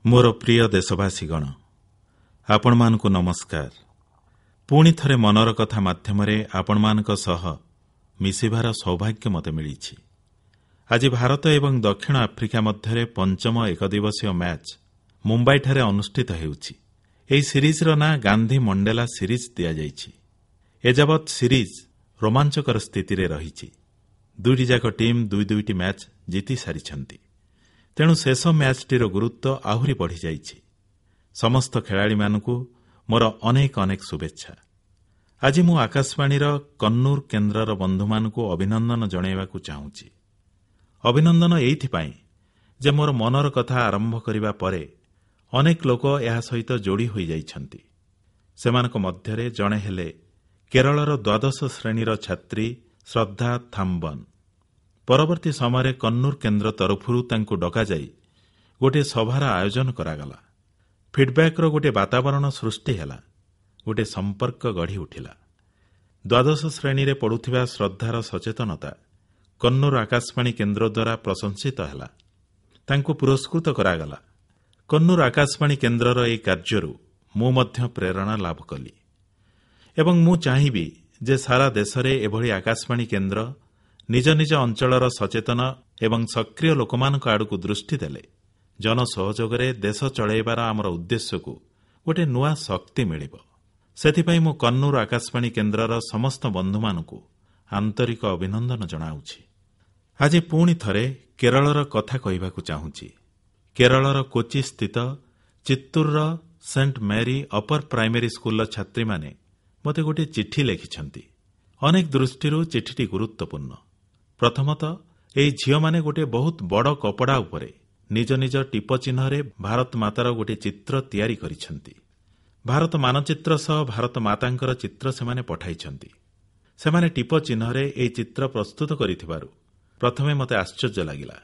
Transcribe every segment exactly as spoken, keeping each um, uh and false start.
ମୋର ପ୍ରିୟ ଦେଶବାସୀଗଣ, ଆପଣମାନଙ୍କୁ ନମସ୍କାର। ପୁଣି ଥରେ ମନର କଥା ମାଧ୍ୟମରେ ଆପଣମାନଙ୍କ ସହ ମିଶିବାର ସୌଭାଗ୍ୟ ମୋତେ ମିଳିଛି। ଆଜି ଭାରତ ଏବଂ ଦକ୍ଷିଣ ଆଫ୍ରିକା ମଧ୍ୟରେ ପଞ୍ଚମ ଏକଦିବସୀୟ ମ୍ୟାଚ୍ ମୁମ୍ବାଇଠାରେ ଅନୁଷ୍ଠିତ ହେଉଛି। ଏହି ସିରିଜର ନାଁ ଗାନ୍ଧୀ ମଣ୍ଡେଲା ସିରିଜ ଦିଆଯାଇଛି। ଏଯାବତ୍ ସିରିଜ ରୋମାଞ୍ଚକର ସ୍ଥିତିରେ ରହିଛି। ଦୁଇଟି ଯାକ ଟିମ୍ ଦୁଇ ଦୁଇଟି ମ୍ୟାଚ୍ ଜିତି ସାରିଛନ୍ତି। ତେଣୁ ଶେଷ ମ୍ୟାଚ୍ଟିର ଗୁରୁତ୍ୱ ଆହୁରି ବଢ଼ିଯାଇଛି। ସମସ୍ତ ଖେଳାଳିମାନଙ୍କୁ ମୋର ଅନେକ ଅନେକ ଶୁଭେଚ୍ଛା। ଆଜି ମୁଁ ଆକାଶବାଣୀର କନ୍ନୁର କେନ୍ଦ୍ରର ବନ୍ଧୁମାନଙ୍କୁ ଅଭିନନ୍ଦନ ଜଣାଇବାକୁ ଚାହୁଁଛି। ଅଭିନନ୍ଦନ ଏଇଥିପାଇଁ ଯେ ମୋର ମନର କଥା ଆରମ୍ଭ କରିବା ପରେ ଅନେକ ଲୋକ ଏହା ସହିତ ଯୋଡ଼ି ହୋଇଯାଇଛନ୍ତି। ସେମାନଙ୍କ ମଧ୍ୟରେ ଜଣେ ହେଲେ କେରଳର ଦ୍ୱାଦଶ ଶ୍ରେଣୀର ଛାତ୍ରୀ ଶ୍ରଦ୍ଧା ଥାମ୍ବନ। ପରବର୍ତ୍ତୀ ସମୟରେ କନ୍ନୁର କେନ୍ଦ୍ର ତରଫରୁ ତାଙ୍କୁ ଡକାଯାଇ ଗୋଟିଏ ସଭାର ଆୟୋଜନ କରାଗଲା। ଫିଡ୍ବ୍ୟାକ୍ର ଗୋଟିଏ ବାତାବରଣ ସୃଷ୍ଟି ହେଲା, ଗୋଟିଏ ସମ୍ପର୍କ ଗଢ଼ି ଉଠିଲା। ଦ୍ୱାଦଶ ଶ୍ରେଣୀରେ ପଢ଼ୁଥିବା ଶ୍ରଦ୍ଧାର ସଚେତନତା କନ୍ନୁର ଆକାଶବାଣୀ କେନ୍ଦ୍ର ଦ୍ୱାରା ପ୍ରଶଂସିତ ହେଲା। ତାଙ୍କୁ ପୁରସ୍କୃତ କରାଗଲା। କନ୍ନୁର ଆକାଶବାଣୀ କେନ୍ଦ୍ରର ଏହି କାର୍ଯ୍ୟରୁ ମୁଁ ମଧ୍ୟ ପ୍ରେରଣା ଲାଭ କଲି ଏବଂ ମୁଁ ଚାହିଁବି ଯେ ସାରା ଦେଶରେ ଏଭଳି ଆକାଶବାଣୀ କେନ୍ଦ୍ର ନିଜ ନିଜ ଅଞ୍ଚଳର ସଚେତନ ଏବଂ ସକ୍ରିୟ ଲୋକମାନଙ୍କ ଆଡ଼କୁ ଦୃଷ୍ଟି ଦେଲେ ଜନସହଯୋଗରେ ଦେଶ ଚଳାଇବାର ଆମର ଉଦ୍ଦେଶ୍ୟକୁ ଗୋଟିଏ ନୂଆ ଶକ୍ତି ମିଳିବ। ସେଥିପାଇଁ ମୁଁ କନ୍ନୁର ଆକାଶବାଣୀ କେନ୍ଦ୍ରର ସମସ୍ତ ବନ୍ଧୁମାନଙ୍କୁ ଆନ୍ତରିକ ଅଭିନନ୍ଦନ ଜଣାଉଛି। ଆଜି ପୁଣି ଥରେ କେରଳର କଥା କହିବାକୁ ଚାହୁଁଛି। କେରଳର କୋଚି ସ୍ଥିତ ଚିତ୍ତୁରର ସେଣ୍ଟ ମେରି ଅପର ପ୍ରାଇମେରୀ ସ୍କୁଲର ଛାତ୍ରୀମାନେ ମୋତେ ଗୋଟିଏ ଚିଠି ଲେଖିଛନ୍ତି। ଅନେକ ଦୃଷ୍ଟିରୁ ଚିଠିଟି ଗୁରୁତ୍ୱପୂର୍ଣ୍ଣ। ପ୍ରଥମତଃ, ଏହି ଝିଅମାନେ ଗୋଟିଏ ବହୁତ ବଡ଼ କପଡ଼ା ଉପରେ ନିଜ ନିଜ ଟିପ ଚିହ୍ନରେ ଭାରତ ମାତାର ଗୋଟିଏ ଚିତ୍ର ତିଆରି କରିଛନ୍ତି। ଭାରତ ମାନଚିତ୍ର ସହ ଭାରତ ମାତାଙ୍କର ଚିତ୍ର ସେମାନେ ପଠାଇଛନ୍ତି। ସେମାନେ ଟିପ ଚିହ୍ନରେ ଏହି ଚିତ୍ର ପ୍ରସ୍ତୁତ କରିଥିବାରୁ ପ୍ରଥମେ ମୋତେ ଆଶ୍ଚର୍ଯ୍ୟ ଲାଗିଲା।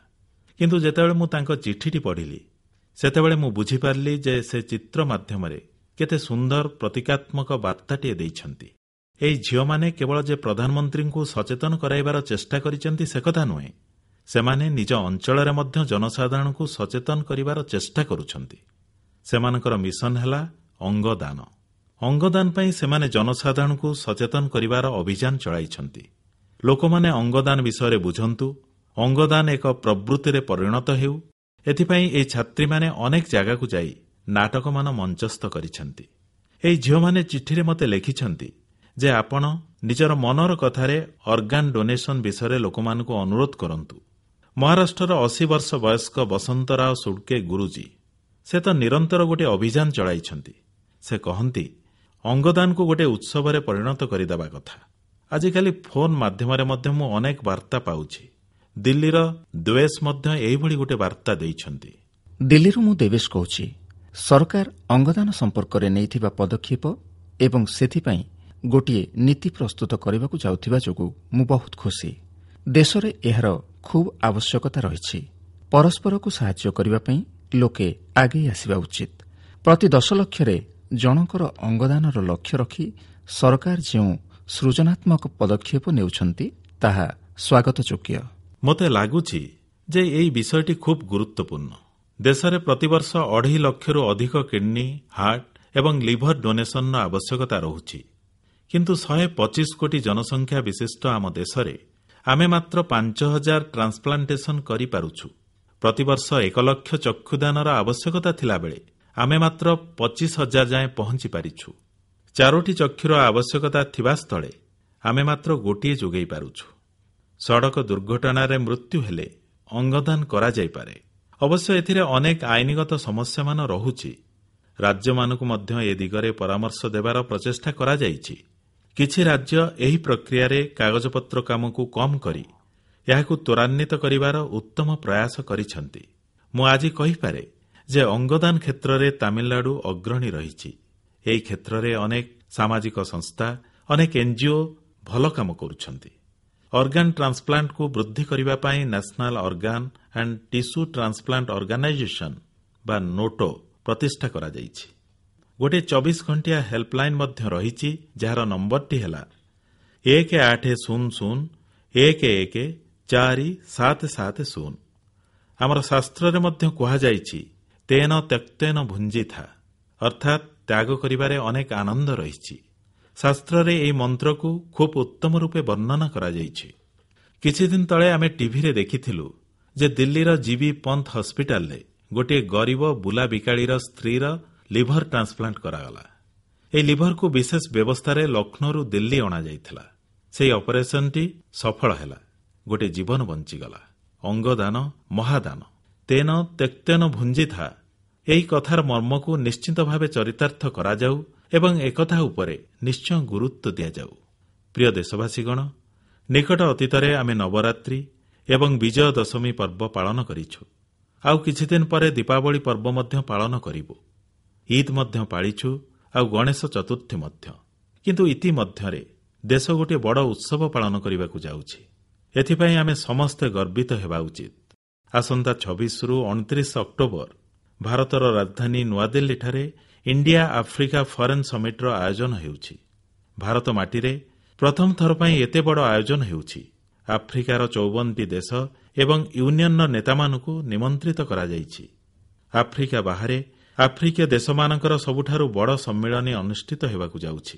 କିନ୍ତୁ ଯେତେବେଳେ ମୁଁ ତାଙ୍କ ଚିଠିଟି ପଢ଼ିଲି, ସେତେବେଳେ ମୁଁ ବୁଝିପାରିଲି ଯେ ସେ ଚିତ୍ର ମାଧ୍ୟମରେ କେତେ ସୁନ୍ଦର ପ୍ରତୀକାତ୍ମକ ବାର୍ତ୍ତାଟିଏ ଦେଇଛନ୍ତି। ଏହି ଝିଅମାନେ କେବଳ ଯେ ପ୍ରଧାନମନ୍ତ୍ରୀଙ୍କୁ ସଚେତନ କରାଇବାର ଚେଷ୍ଟା କରିଛନ୍ତି ସେକଥା ନୁହେଁ, ସେମାନେ ନିଜ ଅଞ୍ଚଳରେ ମଧ୍ୟ ଜନସାଧାରଣଙ୍କୁ ସଚେତନ କରିବାର ଚେଷ୍ଟା କରୁଛନ୍ତି। ସେମାନଙ୍କର ମିଶନ ହେଲା ଅଙ୍ଗଦାନ। ଅଙ୍ଗଦାନ ପାଇଁ ସେମାନେ ଜନସାଧାରଣଙ୍କୁ ସଚେତନ କରିବାର ଅଭିଯାନ ଚଳାଇଛନ୍ତି। ଲୋକମାନେ ଅଙ୍ଗଦାନ ବିଷୟରେ ବୁଝନ୍ତୁ, ଅଙ୍ଗଦାନ ଏକ ପ୍ରବୃତ୍ତିରେ ପରିଣତ ହେଉ, ଏଥିପାଇଁ ଏହି ଛାତ୍ରୀମାନେ ଅନେକ ଜାଗାକୁ ଯାଇ ନାଟକମାନ ମଞ୍ଚସ୍ଥ କରିଛନ୍ତି। ଏହି ଝିଅମାନେ ଚିଠିରେ ମୋତେ ଲେଖିଛନ୍ତି ଯେ ଆପଣ ନିଜର ମନର କଥାରେ ଅର୍ଗାନ ଡୋନେସନ ବିଷୟରେ ଲୋକମାନଙ୍କୁ ଅନୁରୋଧ କରନ୍ତୁ। ମହାରାଷ୍ଟ୍ରର ଅଶୀ ବର୍ଷ ବୟସ୍କ ବସନ୍ତରାଓ ସୁଡ଼କେ ଗୁରୁଜୀ, ସେ ତ ନିରନ୍ତର ଗୋଟିଏ ଅଭିଯାନ ଚଳାଇଛନ୍ତି। ସେ କହନ୍ତି, ଅଙ୍ଗଦାନକୁ ଗୋଟିଏ ଉତ୍ସବରେ ପରିଣତ କରିଦେବା କଥା। ଆଜିକାଲି ଫୋନ୍ ମାଧ୍ୟମରେ ମଧ୍ୟ ମୁଁ ଅନେକ ବାର୍ତ୍ତା ପାଉଛି। ଦିଲ୍ଲୀର ଦେବେଶ ମଧ୍ୟ ଏହିଭଳି ଗୋଟିଏ ବାର୍ତ୍ତା ଦେଇଛନ୍ତି। ଦିଲ୍ଲୀରୁ ମୁଁ ଦେବେଶ କହୁଛି। ସରକାର ଅଙ୍ଗଦାନ ସମ୍ପର୍କରେ ନେଇଥିବା ପଦକ୍ଷେପ ଏବଂ ସେଥିପାଇଁ ଗୋଟିଏ ନୀତି ପ୍ରସ୍ତୁତ କରିବାକୁ ଯାଉଥିବା ଯୋଗୁଁ ମୁଁ ବହୁତ ଖୁସି। ଦେଶରେ ଏହାର ଖୁବ୍ ଆବଶ୍ୟକତା ରହିଛି। ପରସ୍ପରକୁ ସାହାଯ୍ୟ କରିବା ପାଇଁ ଲୋକେ ଆଗେଇ ଆସିବା ଉଚିତ। ପ୍ରତି ଦଶ ଲକ୍ଷରେ ଜଣଙ୍କର ଅଙ୍ଗଦାନର ଲକ୍ଷ୍ୟ ରଖି ସରକାର ଯେଉଁ ସୃଜନାତ୍ମକ ପଦକ୍ଷେପ ନେଉଛନ୍ତି, ତାହା ସ୍ୱାଗତଯୋଗ୍ୟ। ମୋତେ ଲାଗୁଛି ଯେ ଏହି ବିଷୟଟି ଖୁବ୍ ଗୁରୁତ୍ୱପୂର୍ଣ୍ଣ। ଦେଶରେ ପ୍ରତିବର୍ଷ ଅଢ଼େଇ ଲକ୍ଷରୁ ଅଧିକ କିଡ୍ନି, ହାର୍ଟ ଏବଂ ଲିଭର ଡୋନେସନର ଆବଶ୍ୟକତା ରହୁଛି। କିନ୍ତୁ ଶହେ ପଚିଶ କୋଟି ଜନସଂଖ୍ୟା ବିଶିଷ୍ଟ ଆମ ଦେଶରେ ଆମେ ମାତ୍ର ପାଞ୍ଚ ହଜାର ଟ୍ରାନ୍ସପ୍ଲାଣ୍ଟେସନ କରିପାରୁଛୁ। ପ୍ରତିବର୍ଷ ଏକ ଲକ୍ଷ ଚକ୍ଷୁଦାନର ଆବଶ୍ୟକତା ଥିଲାବେଳେ ଆମେ ମାତ୍ର ପଚିଶ ହଜାର ଯାଏଁ ପହଞ୍ଚି ପାରିଛୁ। ଚାରୋଟି ଚକ୍ଷୁର ଆବଶ୍ୟକତା ଥିବା ସ୍ଥଳେ ଆମେ ମାତ୍ର ଗୋଟିଏ ଯୋଗାଇ ପାରୁଛୁ। ସଡ଼କ ଦୁର୍ଘଟଣାରେ ମୃତ୍ୟୁ ହେଲେ ଅଙ୍ଗଦାନ କରାଯାଇପାରେ। ଅବଶ୍ୟ ଏଥିରେ ଅନେକ ଆଇନଗତ ସମସ୍ୟାମାନ ରହୁଛି। ରାଜ୍ୟମାନଙ୍କୁ ମଧ୍ୟ ଏ ଦିଗରେ ପରାମର୍ଶ ଦେବାର ପ୍ରଚେଷ୍ଟା କରାଯାଇଛି। କିଛି ରାଜ୍ୟ ଏହି ପ୍ରକ୍ରିୟାରେ କାଗଜପତ୍ର କାମକୁ କମ୍ କରି ଏହାକୁ ତ୍ୱରାନ୍ୱିତ କରିବାର ଉତ୍ତମ ପ୍ରୟାସ କରିଛନ୍ତି। ମୁଁ ଆଜି କହିପାରେ ଯେ ଅଙ୍ଗଦାନ କ୍ଷେତ୍ରରେ ତାମିଲନାଡୁ ଅଗ୍ରଣୀ ରହିଛି। ଏହି କ୍ଷେତ୍ରରେ ଅନେକ ସାମାଜିକ ସଂସ୍ଥା, ଅନେକ ଏନ୍ଜିଓ ଭଲ କାମ କରୁଛନ୍ତି। ଅର୍ଗାନ ଟ୍ରାନ୍ସପ୍ଲାଣ୍ଟକୁ ବୃଦ୍ଧି କରିବା ପାଇଁ National Organ and Tissue Transplant Organisation ବା ନୋଟୋ ପ୍ରତିଷ୍ଠା କରାଯାଇଛି। ଗୋଟିଏ ଚବିଶ ଘଣ୍ଟିଆ ହେଲ୍ପଲାଇନ୍ ମଧ୍ୟ ରହିଛି, ଯାହାର ନମ୍ବରଟି ହେଲା ଏକ ଆଠ ଶୂନ ଶୂନ ଏକ ଏକ ଚାରି ସାତ ସାତ ଶୂନ। ଆମର ଶାସ୍ତ୍ରରେ ମଧ୍ୟ କୁହାଯାଇଛି ତେନ ତ୍ୟକ୍ତେନ ଭୁଞ୍ଜିଥା, ଅର୍ଥାତ୍ ତ୍ୟାଗ କରିବାରେ ଅନେକ ଆନନ୍ଦ ରହିଛି। ଶାସ୍ତ୍ରରେ ଏହି ମନ୍ତ୍ରକୁ ଖୁବ୍ ଉତ୍ତମ ରୂପେ ବର୍ଣ୍ଣନା କରାଯାଇଛି। କିଛିଦିନ ତଳେ ଆମେ ଟିଭିରେ ଦେଖିଥିଲୁ ଯେ ଦିଲ୍ଲୀର ଜିବି ପନ୍ଥ ହସ୍ପିଟାଲରେ ଗୋଟିଏ ଗରିବ ବୁଲା ବିକାଳିର ସ୍ତ୍ରୀର ଲିଭର ଟ୍ରାନ୍ସପ୍ଲାଣ୍ଟ କରାଗଲା। ଏହି ଲିଭରକୁ ବିଶେଷ ବ୍ୟବସ୍ଥାରେ ଲକ୍ଷ୍ନୌରୁ ଦିଲ୍ଲୀ ଅଣାଯାଇଥିଲା। ସେହି ଅପରେସନଟି ସଫଳ ହେଲା। ଗୋଟିଏ ଜୀବନ ବଞ୍ଚିଗଲା। ଅଙ୍ଗଦାନ ମହାଦାନ। ତେନ ତ୍ୟକ୍ତେନ ଭୁଞ୍ଜିଥା, ଏହି କଥାର ମର୍ମକୁ ନିଶ୍ଚିତ ଭାବେ ଚରିତାର୍ଥ କରାଯାଉ ଏବଂ ଏକଥା ଉପରେ ନିଶ୍ଚୟ ଗୁରୁତ୍ୱ ଦିଆଯାଉ। ପ୍ରିୟ ଦେଶବାସୀଗଣ, ନିକଟ ଅତୀତରେ ଆମେ ନବରାତ୍ରି ଏବଂ ବିଜୟ ଦଶମୀ ପର୍ବ ପାଳନ କରିଛୁ। ଆଉ କିଛିଦିନ ପରେ ଦୀପାବଳି ପର୍ବ ମଧ୍ୟ ପାଳନ କରିବୁ। ଇଦ୍ ମଧ୍ୟ ପାଳିଛୁ ଆଉ ଗଣେଶ ଚତୁର୍ଥୀ ମଧ୍ୟ। କିନ୍ତୁ ଇତିମଧ୍ୟରେ ଦେଶ ଗୋଟିଏ ବଡ଼ ଉତ୍ସବ ପାଳନ କରିବାକୁ ଯାଉଛି। ଏଥିପାଇଁ ଆମେ ସମସ୍ତେ ଗର୍ବିତ ହେବା ଉଚିତ। ଆସନ୍ତା ଛବିଶରୁ ଅଣତିରିଶ ଅକ୍ଟୋବର ଭାରତର ରାଜଧାନୀ ନୂଆଦିଲ୍ଲୀଠାରେ ଇଣ୍ଡିଆ ଆଫ୍ରିକା ଫରେନ୍ ସମିଟ୍ର ଆୟୋଜନ ହେଉଛି। ଭାରତ ମାଟିରେ ପ୍ରଥମ ଥର ପାଇଁ ଏତେ ବଡ଼ ଆୟୋଜନ ହେଉଛି। ଆଫ୍ରିକାର ଚଉବନଟି ଦେଶ ଏବଂ ୟୁନିୟନର ନେତାମାନଙ୍କୁ ନିମନ୍ତ୍ରିତ କରାଯାଇଛି। ଆଫ୍ରିକା ବାହାରେ ଆଫ୍ରିକୀୟ ଦେଶମାନଙ୍କର ସବୁଠାରୁ ବଡ଼ ସମ୍ମିଳନୀ ଅନୁଷ୍ଠିତ ହେବାକୁ ଯାଉଛି।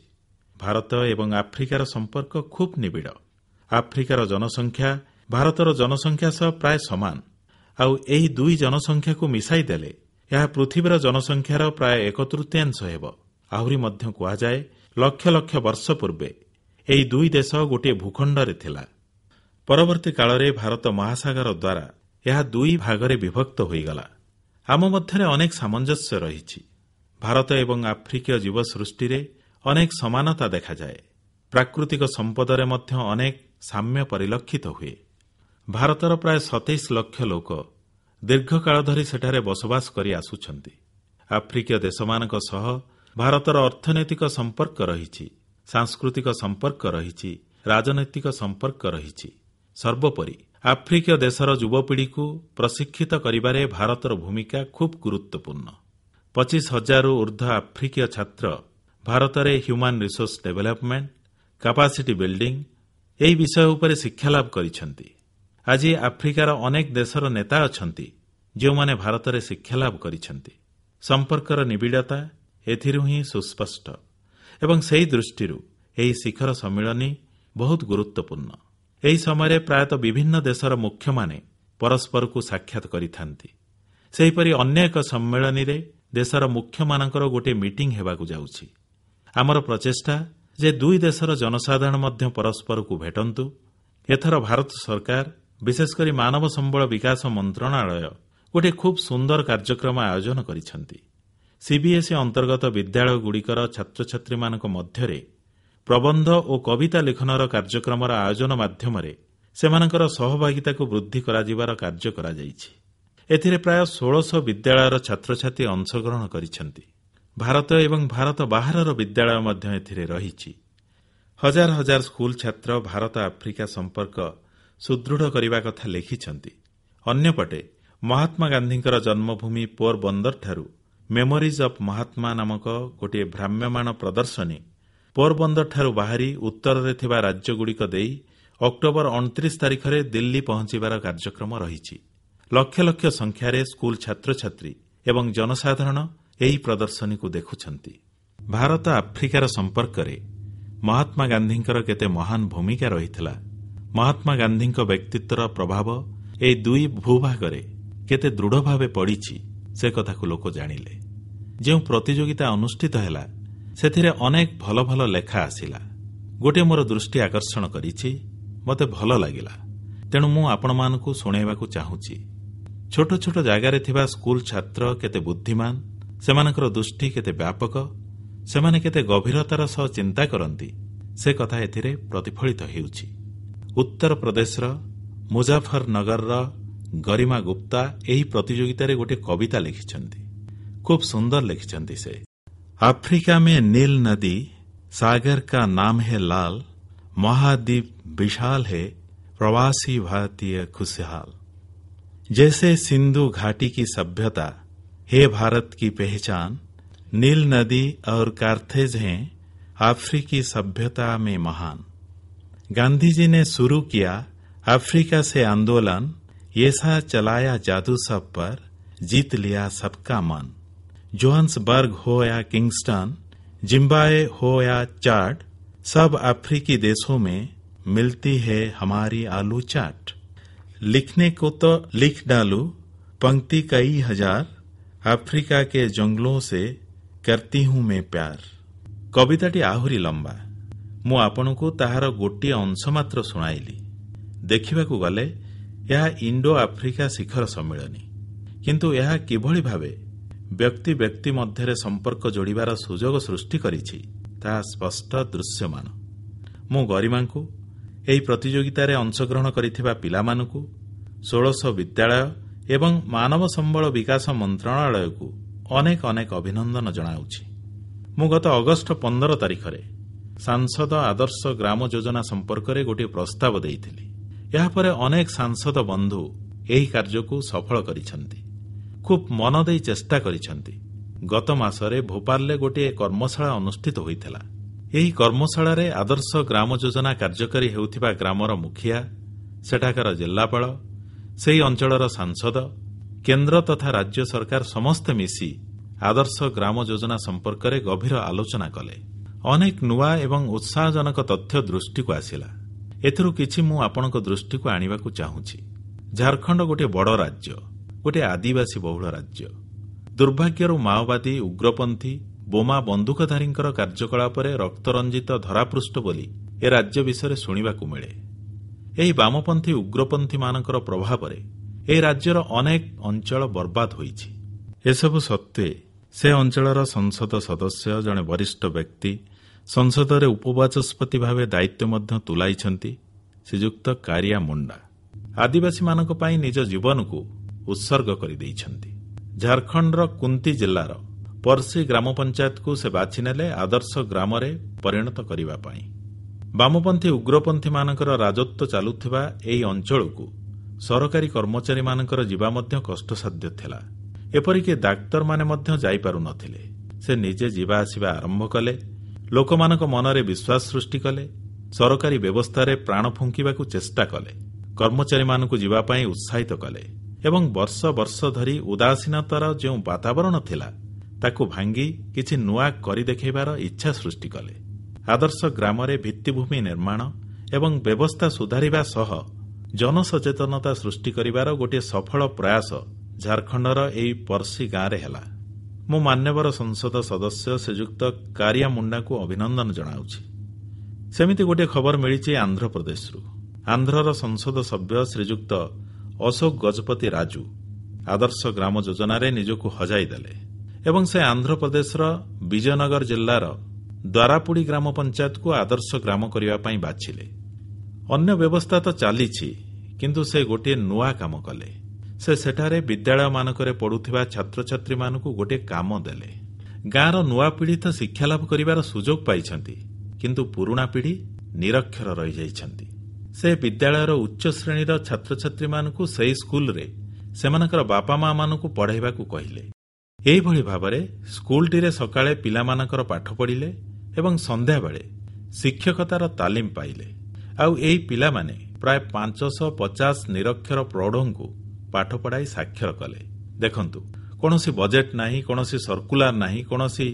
ଭାରତ ଏବଂ ଆଫ୍ରିକାର ସମ୍ପର୍କ ଖୁବ୍ ନିବିଡ଼। ଆଫ୍ରିକାର ଜନସଂଖ୍ୟା ଭାରତର ଜନସଂଖ୍ୟା ସହ ପ୍ରାୟ ସମାନ। ଆଉ ଏହି ଦୁଇ ଜନସଂଖ୍ୟାକୁ ମିଶାଇ ଦେଲେ ଏହା ପୃଥିବୀର ଜନସଂଖ୍ୟାର ପ୍ରାୟ ଏକ ତୃତୀୟାଂଶ ହେବ। ଆହୁରି ମଧ୍ୟ କୁହାଯାଏ, ଲକ୍ଷ ଲକ୍ଷ ବର୍ଷ ପୂର୍ବେ ଏହି ଦୁଇ ଦେଶ ଗୋଟିଏ ଭୂଖଣ୍ଡରେ ଥିଲା। ପରବର୍ତ୍ତୀ କାଳରେ ଭାରତ ମହାସାଗର ଦ୍ୱାରା ଏହା ଦୁଇ ଭାଗରେ ବିଭକ୍ତ ହୋଇଗଲା। ଆମ ମଧ୍ୟରେ ଅନେକ ସାମଞ୍ଜସ୍ୟ ରହିଛି। ଭାରତ ଏବଂ ଆଫ୍ରିକୀୟ ଜୀବସୃଷ୍ଟିରେ ଅନେକ ସମାନତା ଦେଖାଯାଏ। ପ୍ରାକୃତିକ ସମ୍ପଦରେ ମଧ୍ୟ ଅନେକ ସାମ୍ୟ ପରିଲକ୍ଷିତ ହୁଏ। ଭାରତର ପ୍ରାୟ ସତେଇଶ ଲକ୍ଷ ଲୋକ ଦୀର୍ଘକାଳ ଧରି ସେଠାରେ ବସବାସ କରି ଆସୁଛନ୍ତି। ଆଫ୍ରିକୀୟ ଦେଶମାନଙ୍କ ସହ ଭାରତର ଅର୍ଥନୈତିକ ସମ୍ପର୍କ ରହିଛି, ସାଂସ୍କୃତିକ ସମ୍ପର୍କ ରହିଛି, ରାଜନୈତିକ ସମ୍ପର୍କ ରହିଛି। ସର୍ବୋପରି ଆଫ୍ରିକୀୟ ଦେଶର ଯୁବପିଢ଼ିକୁ ପ୍ରଶିକ୍ଷିତ କରିବାରେ ଭାରତର ଭୂମିକା ଖୁବ୍ ଗୁରୁତ୍ୱପୂର୍ଣ୍ଣ। ପଚିଶ ହଜାରରୁ ଉର୍ଦ୍ଧ୍ୱ ଆଫ୍ରିକୀୟ ଛାତ୍ର ଭାରତରେ human resource development, capacity building ଏହି ବିଷୟ ଉପରେ ଶିକ୍ଷାଲାଭ କରିଛନ୍ତି। ଆଜି ଆଫ୍ରିକାର ଅନେକ ଦେଶର ନେତା ଅଛନ୍ତି ଯେଉଁମାନେ ଭାରତରେ ଶିକ୍ଷାଲାଭ କରିଛନ୍ତି। ସମ୍ପର୍କର ନିବିଡ଼ତା ଏଥିରୁ ହିଁ ସୁସ୍ପଷ୍ଟ ଏବଂ ସେହି ଦୃଷ୍ଟିରୁ ଏହି ଶିଖର ସମ୍ମିଳନୀ ବହୁତ ଗୁରୁତ୍ୱପୂର୍ଣ୍ଣ। ଏହି ସମୟରେ ପ୍ରାୟତଃ ବିଭିନ୍ନ ଦେଶର ମୁଖ୍ୟମାନେ ପରସ୍ପରକୁ ସାକ୍ଷାତ କରିଥାନ୍ତି। ସେହିପରି ଅନ୍ୟ ଏକ ସମ୍ମିଳନୀରେ ଦେଶର ମୁଖ୍ୟମାନଙ୍କର ଗୋଟିଏ ମିଟିଂ ହେବାକୁ ଯାଉଛି। ଆମର ପ୍ରଚେଷ୍ଟା ଯେ ଦୁଇ ଦେଶର ଜନସାଧାରଣ ମଧ୍ୟ ପରସ୍ପରକୁ ଭେଟନ୍ତୁ। ଏଥର ଭାରତ ସରକାର, ବିଶେଷକରି ମାନବ ସମ୍ବଳ ବିକାଶ ମନ୍ତ୍ରଣାଳୟ ଗୋଟିଏ ଖୁବ୍ ସୁନ୍ଦର କାର୍ଯ୍ୟକ୍ରମ ଆୟୋଜନ କରିଛନ୍ତି। ସିବିଏସ୍ଇ ଅନ୍ତର୍ଗତ ବିଦ୍ୟାଳୟଗୁଡ଼ିକର ଛାତ୍ରଛାତ୍ରୀମାନଙ୍କ ମଧ୍ୟରେ ପ୍ରବନ୍ଧ ଓ କବିତା ଲିଖନର କାର୍ଯ୍ୟକ୍ରମର ଆୟୋଜନ ମାଧ୍ୟମରେ ସେମାନଙ୍କର ସହଭାଗିତାକୁ ବୃଦ୍ଧି କରାଯିବାର କାର୍ଯ୍ୟ କରାଯାଇଛି। ଏଥିରେ ପ୍ରାୟ ଷୋଳଶହ ବିଦ୍ୟାଳୟର ଛାତ୍ରଛାତ୍ରୀ ଅଂଶଗ୍ରହଣ କରିଛନ୍ତି। ଭାରତ ଏବଂ ଭାରତ ବାହାରର ବିଦ୍ୟାଳୟ ମଧ୍ୟ ଏଥିରେ ରହିଛି। ହଜାର ହଜାର ସ୍କୁଲ ଛାତ୍ର ଭାରତ ଆଫ୍ରିକା ସମ୍ପର୍କ ସୁଦୃଢ଼ କରିବା କଥା ଲେଖିଛନ୍ତି। ଅନ୍ୟପଟେ ମହାତ୍ମା ଗାନ୍ଧୀଙ୍କର ଜନ୍ମଭୂମି ପୋରବନ୍ଦରଠାରୁ ମେମୋରିଜ୍ ଅଫ୍ ମହାତ୍ମା ନାମକ ଗୋଟିଏ ଭ୍ରାମ୍ୟମାଣ ପ୍ରଦର୍ଶନୀ ପୋରବନ୍ଦରଠାରୁ ବାହାରି ଉତ୍ତରରେ ଥିବା ରାଜ୍ୟଗୁଡ଼ିକ ଦେଇ ଅକ୍ଟୋବର ଅଣତିରିଶ ତାରିଖରେ ଦିଲ୍ଲୀ ପହଞ୍ଚିବାର କାର୍ଯ୍ୟକ୍ରମ ରହିଛି। ଲକ୍ଷ ଲକ୍ଷ ସଂଖ୍ୟାରେ ସ୍କୁଲ ଛାତ୍ରଛାତ୍ରୀ ଏବଂ ଜନସାଧାରଣ ଏହି ପ୍ରଦର୍ଶନୀକୁ ଦେଖୁଛନ୍ତି। ଭାରତ ଆଫ୍ରିକାର ସମ୍ପର୍କରେ ମହାତ୍ମା ଗାନ୍ଧୀଙ୍କର କେତେ ମହାନ ଭୂମିକା ରହିଥିଲା, ମହାତ୍ମା ଗାନ୍ଧୀଙ୍କ ବ୍ୟକ୍ତିତ୍ୱର ପ୍ରଭାବ ଏହି ଦୁଇ ଭୂଭାଗରେ କେତେ ଦୃଢ଼ ଭାବେ ପଡ଼ିଛି, ସେ କଥାକୁ ଲୋକ ଜାଣିଲେ। ଯେଉଁ ପ୍ରତିଯୋଗିତା ଅନୁଷ୍ଠିତ ହେଲା ସେଥିରେ ଅନେକ ଭଲ ଭଲ ଲେଖା ଆସିଲା। ଗୋଟିଏ ମୋର ଦୃଷ୍ଟି ଆକର୍ଷଣ କରିଛି, ମୋତେ ଭଲ ଲାଗିଲା, ତେଣୁ ମୁଁ ଆପଣମାନଙ୍କୁ ଶୁଣାଇବାକୁ ଚାହୁଁଛି। ଛୋଟ ଛୋଟ ଜାଗାରେ ଥିବା ସ୍କୁଲ ଛାତ୍ର କେତେ ବୁଦ୍ଧିମାନ, ସେମାନଙ୍କର ଦୃଷ୍ଟି କେତେ ବ୍ୟାପକ, ସେମାନେ କେତେ ଗଭୀରତାର ସହ ଚିନ୍ତା କରନ୍ତି, ସେ କଥା ଏଥିରେ ପ୍ରତିଫଳିତ ହେଉଛି। ଉତ୍ତରପ୍ରଦେଶର ମୁଜାଫରନଗରର ଗରିମା ଗୁପ୍ତା ଏହି ପ୍ରତିଯୋଗିତାରେ ଗୋଟିଏ କବିତା ଲେଖିଛନ୍ତି। ଖୁବ୍ ସୁନ୍ଦର ଲେଖିଛନ୍ତି ସେ। अफ्रीका में नील नदी, सागर का नाम है लाल, महाद्वीप विशाल है, प्रवासी भारतीय खुशहाल। जैसे सिंधु घाटी की सभ्यता है भारत की पहचान, नील नदी और कार्थेज हैं अफ्रीकी सभ्यता में महान। गांधी जी ने शुरू किया अफ्रीका से आंदोलन, ऐसा चलाया जादू सब पर, जीत लिया सबका मन। जोहान्सबर्ग हो या किंगस्टन, जिम्बाब्वे हो या चाड, सब अफ्रीकी देशों में मिलती है हमारी आलू चाट। लिखने को तो लिख डालूं पंक्ति कई हजार, अफ्रीका के जंगलों से करती हूं मैं प्यार। କବିତାଟି ଆହୁରି ଲମ୍ବା। ମୁଁ ଆପଣଙ୍କୁ ତାହାର ଗୋଟିଏ ଅଂଶ ମାତ୍ର ଶୁଣାଇଲି। ଦେଖିବାକୁ ଗଲେ ଏହା ଇଣ୍ଡୋ ଆଫ୍ରିକା ଶିଖର ସମ୍ମିଳନୀ, କିନ୍ତୁ ଏହା କିଭଳି ଭାବେ ବ୍ୟକ୍ତି ବ୍ୟକ୍ତି ମଧ୍ୟରେ ସମ୍ପର୍କ ଯୋଡ଼ିବାର ସୁଯୋଗ ସୃଷ୍ଟି କରିଛି, ତାହା ସ୍ପଷ୍ଟ ଦୃଶ୍ୟମାନ। ମୁଁ ଗରିମାଙ୍କୁ, ଏହି ପ୍ରତିଯୋଗିତାରେ ଅଂଶଗ୍ରହଣ କରିଥିବା ପିଲାମାନଙ୍କୁ, ଷୋଡ଼ଶ ବିଦ୍ୟାଳୟ ଏବଂ ମାନବ ସମ୍ବଳ ବିକାଶ ମନ୍ତ୍ରଣାଳୟକୁ ଅନେକ ଅନେକ ଅଭିନନ୍ଦନ ଜଣାଉଛି। ମୁଁ ଗତ ଅଗଷ୍ଟ ପନ୍ଦର ତାରିଖରେ ସାଂସଦ ଆଦର୍ଶ ଗ୍ରାମ ଯୋଜନା ସମ୍ପର୍କରେ ଗୋଟିଏ ପ୍ରସ୍ତାବ ଦେଇଥିଲି। ଏହାପରେ ଅନେକ ସାଂସଦ ବନ୍ଧୁ ଏହି କାର୍ଯ୍ୟକୁ ସଫଳ କରିଛନ୍ତି, ଖୁବ୍ ମନ ଦେଇ ଚେଷ୍ଟା କରିଛନ୍ତି। ଗତ ମାସରେ ଭୋପାଳରେ ଗୋଟିଏ କର୍ମଶାଳା ଅନୁଷ୍ଠିତ ହୋଇଥିଲା। ଏହି କର୍ମଶାଳାରେ ଆଦର୍ଶ ଗ୍ରାମ ଯୋଜନା କାର୍ଯ୍ୟକାରୀ ହେଉଥିବା ଗ୍ରାମର ମୁଖିଆ, ସେଠାକାର ଜିଲ୍ଲାପାଳ, ସେହି ଅଞ୍ଚଳର ସାଂସଦ, କେନ୍ଦ୍ର ତଥା ରାଜ୍ୟ ସରକାର ସମସ୍ତେ ମିଶି ଆଦର୍ଶ ଗ୍ରାମ ଯୋଜନା ସମ୍ପର୍କରେ ଗଭୀର ଆଲୋଚନା କଲେ। ଅନେକ ନୂଆ ଏବଂ ଉତ୍ସାହଜନକ ତଥ୍ୟ ଦୃଷ୍ଟିକୁ ଆସିଲା। ଏଥିରୁ କିଛି ମୁଁ ଆପଣଙ୍କ ଦୃଷ୍ଟିକୁ ଆଣିବାକୁ ଚାହୁଁଛି। ଝାଡ଼ଖଣ୍ଡ ଗୋଟିଏ ବଡ଼ ରାଜ୍ୟ, ଗୋଟିଏ ଆଦିବାସୀ ବହୁଳ ରାଜ୍ୟ। ଦୁର୍ଭାଗ୍ୟରୁ ମାଓବାଦୀ, ଉଗ୍ରପନ୍ଥୀ, ବୋମା ବନ୍ଧୁକଧାରୀଙ୍କର କାର୍ଯ୍ୟକଳାପରେ ରକ୍ତରଞ୍ଜିତ ଧରାପୃଷ୍ଠ ବୋଲି ଏ ରାଜ୍ୟ ବିଷୟରେ ଶୁଣିବାକୁ ମିଳେ। ଏହି ବାମପନ୍ଥୀ ଉଗ୍ରପନ୍ଥୀମାନଙ୍କର ପ୍ରଭାବରେ ଏହି ରାଜ୍ୟର ଅନେକ ଅଞ୍ଚଳ ବର୍ବାଦ ହୋଇଛି। ଏସବୁ ସତ୍ତ୍ୱେ ସେ ଅଞ୍ଚଳର ସଂସଦ ସଦସ୍ୟ, ଜଣେ ବରିଷ୍ଠ ବ୍ୟକ୍ତି, ସଂସଦରେ ଉପବାଚସ୍ପତି ଭାବେ ଦାୟିତ୍ୱ ମଧ୍ୟ ତୁଲାଇଛନ୍ତି, ଶ୍ରୀଯୁକ୍ତ କାରିଆ ମୁଣ୍ଡା, ଆଦିବାସୀମାନଙ୍କ ପାଇଁ ନିଜ ଜୀବନକୁ ଉତ୍ସର୍ଗ କରିଦେଇଛନ୍ତି। ଝାଡ଼ଖଣ୍ଡର କୁନ୍ତି ଜିଲ୍ଲାର ପର୍ସି ଗ୍ରାମ ପଞ୍ଚାୟତକୁ ସେ ବାଛିନେଲେ ଆଦର୍ଶ ଗ୍ରାମରେ ପରିଣତ କରିବା ପାଇଁ। ବାମପନ୍ଥୀ ଉଗ୍ରପନ୍ଥୀମାନଙ୍କର ରାଜତ୍ୱ ଚାଲୁଥିବା ଏହି ଅଞ୍ଚଳକୁ ସରକାରୀ କର୍ମଚାରୀମାନଙ୍କର ଯିବା ମଧ୍ୟ କଷ୍ଟସାଧ୍ୟ ଥିଲା। ଏପରିକି ଡାକ୍ତରମାନେ ମଧ୍ୟ ଯାଇପାରୁନଥିଲେ। ସେ ନିଜେ ଯିବା ଆସିବା ଆରମ୍ଭ କଲେ, ଲୋକମାନଙ୍କ ମନରେ ବିଶ୍ୱାସ ସୃଷ୍ଟି କଲେ, ସରକାରୀ ବ୍ୟବସ୍ଥାରେ ପ୍ରାଣ ଫୁଙ୍କିବାକୁ ଚେଷ୍ଟା କଲେ, କର୍ମଚାରୀମାନଙ୍କୁ ଯିବା ପାଇଁ ଉତ୍ସାହିତ କଲେ ଏବଂ ବର୍ଷ ବର୍ଷ ଧରି ଉଦାସୀନତାର ଯେଉଁ ବାତାବରଣ ଥିଲା, ତାକୁ ଭାଙ୍ଗି କିଛି ନୂଆ କରି ଦେଖାଇବାର ଇଚ୍ଛା ସୃଷ୍ଟି କଲେ। ଆଦର୍ଶ ଗ୍ରାମରେ ଭିତ୍ତିଭୂମି ନିର୍ମାଣ ଏବଂ ବ୍ୟବସ୍ଥା ସୁଧାରିବା ସହ ଜନସଚେତନତା ସୃଷ୍ଟି କରିବାର ଗୋଟିଏ ସଫଳ ପ୍ରୟାସ ଝାଡ଼ଖଣ୍ଡର ଏହି ପର୍ସି ଗାଁରେ ହେଲା। ମୁଁ ମାନ୍ୟବର ସଂସଦ ସଦସ୍ୟ ଶ୍ରୀଯୁକ୍ତ କାରିଆ ମୁଣ୍ଡାଙ୍କୁ ଅଭିନନ୍ଦନ ଜଣାଉଛି। ସେମିତି ଗୋଟିଏ ଖବର ମିଳିଛି ଆନ୍ଧ୍ରପ୍ରଦେଶରୁ। ଆନ୍ଧ୍ରର ସଂସଦ ସଭ୍ୟ ଶ୍ରୀଯୁକ୍ତ ଅଶୋକ ଗଜପତି ରାଜୁ ଆଦର୍ଶ ଗ୍ରାମ ଯୋଜନାରେ ନିଜକୁ ହଜାଇ ଦେଲେ ଏବଂ ସେ ଆନ୍ଧ୍ରପ୍ରଦେଶର ବିଜୟନଗର ଜିଲ୍ଲାର ଦ୍ୱାରାପୁଡ଼ି ଗ୍ରାମ ପଞ୍ଚାୟତକୁ ଆଦର୍ଶ ଗ୍ରାମ କରିବା ପାଇଁ ବାଛିଲେ। ଅନ୍ୟ ବ୍ୟବସ୍ଥା ତ ଚାଲିଛି, କିନ୍ତୁ ସେ ଗୋଟିଏ ନୂଆ କାମ କଲେ। ସେ ସେଠାରେ ବିଦ୍ୟାଳୟମାନଙ୍କରେ ପଢ଼ୁଥିବା ଛାତ୍ରଛାତ୍ରୀମାନଙ୍କୁ ଗୋଟିଏ କାମ ଦେଲେ। ଗାଁର ନୂଆ ପିଢ଼ି ତ ଶିକ୍ଷାଲାଭ କରିବାର ସୁଯୋଗ ପାଇଛନ୍ତି, କିନ୍ତୁ ପୁରୁଣା ପିଢ଼ି ନିରକ୍ଷର ରହିଯାଇଛନ୍ତି। ସେ ବିଦ୍ୟାଳୟର ଉଚ୍ଚ ଶ୍ରେଣୀର ଛାତ୍ରଛାତ୍ରୀମାନଙ୍କୁ ସେହି ସ୍କୁଲରେ ସେମାନଙ୍କର ବାପା ମାମାନଙ୍କୁ ପଢ଼ାଇବାକୁ କହିଲେ। ଏହିଭଳି ଭାବରେ ସ୍କୁଲଟିରେ ସକାଳେ ପିଲାମାନଙ୍କର ପାଠ ପଢ଼ିଲେ ଏବଂ ସନ୍ଧ୍ୟାବେଳେ ଶିକ୍ଷକତାର ତାଲିମ ପାଇଲେ। ଆଉ ଏହି ପିଲାମାନେ ପ୍ରାୟ ପାଞ୍ଚଶହ ପଚାଶ ନିରକ୍ଷର ପ୍ରୌଢ଼ଙ୍କୁ ପାଠ ପଢ଼ାଇ ସାକ୍ଷର କଲେ। ଦେଖନ୍ତୁ, କୌଣସି ବଜେଟ୍ ନାହିଁ, କୌଣସି ସର୍କୁଲାର ନାହିଁ, କୌଣସି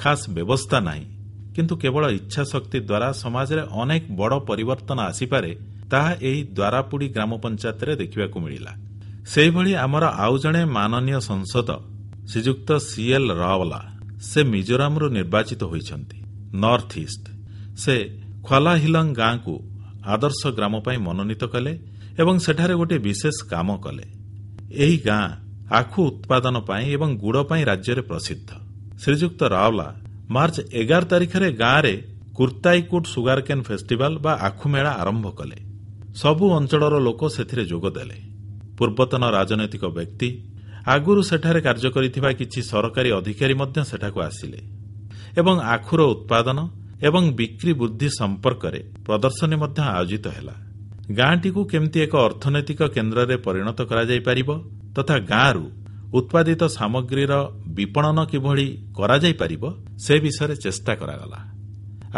ଖାସ୍ ବ୍ୟବସ୍ଥା ନାହିଁ, କିନ୍ତୁ କେବଳ ଇଚ୍ଛାଶକ୍ତି ଦ୍ୱାରା ସମାଜରେ ଅନେକ ବଡ଼ ପରିବର୍ତ୍ତନ ଆସିପାରେ, ତାହା ଏହି ଦ୍ୱାରାପୁଡ଼ି ଗ୍ରାମ ପଞ୍ଚାୟତରେ ଦେଖିବାକୁ ମିଳିଲା। ସେହିଭଳି ଆମର ଆଉ ଜଣେ ମାନନୀୟ ସାଂସଦ ଶ୍ରୀଯୁକ୍ତ ସିଏଲ୍ ରାୱଲା, ସେ ମିଜୋରାମରୁ ନିର୍ବାଚିତ ହୋଇଛନ୍ତି, ନର୍ଥ ଇଷ୍ଟ। ସେ ଖ୍ୱାଲାହିଲଙ୍ଗ ଗାଁକୁ ଆଦର୍ଶ ଗ୍ରାମ ପାଇଁ ମନୋନୀତ କଲେ ଏବଂ ସେଠାରେ ଗୋଟିଏ ବିଶେଷ କାମ କଲେ। ଏହି ଗାଁ ଆଖୁ ଉତ୍ପାଦନ ପାଇଁ ଏବଂ ଗୁଡ଼ ପାଇଁ ରାଜ୍ୟରେ ପ୍ରସିଦ୍ଧ। ଶ୍ରୀଯୁକ୍ତ ରାୱଲା ମାର୍ଚ୍ଚ ଏଗାର ତାରିଖରେ ଗାଁରେ କୁର୍ତ୍ତାଇକୁଟ ସୁଗାରକେନ୍ ଫେଷ୍ଟିଭାଲ ବା ଆଖୁ ମେଳା ଆରମ୍ଭ କଲେ। ସବୁ ଅଞ୍ଚଳର ଲୋକ ସେଥିରେ ଯୋଗ ଦେଲେ। ପୂର୍ବତନ ରାଜନୈତିକ ବ୍ୟକ୍ତି, ଆଗରୁ ସେଠାରେ କାର୍ଯ୍ୟ କରିଥିବା କିଛି ସରକାରୀ ଅଧିକାରୀ ମଧ୍ୟ ସେଠାକୁ ଆସିଲେ ଏବଂ ଆଖୁର ଉତ୍ପାଦନ ଏବଂ ବିକ୍ରି ବୃଦ୍ଧି ସମ୍ପର୍କରେ ପ୍ରଦର୍ଶନୀ ମଧ୍ୟ ଆୟୋଜିତ ହେଲା। ଗାଁଟିକୁ କେମିତି ଏକ ଅର୍ଥନୈତିକ କେନ୍ଦ୍ରରେ ପରିଣତ କରାଯାଇପାରିବ ତଥା ଗାଁରୁ ଉତ୍ପାଦିତ ସାମଗ୍ରୀର ବିପଣନ କିଭଳି କରାଯାଇପାରିବ, ସେ ବିଷୟରେ ଚେଷ୍ଟା କରାଗଲା।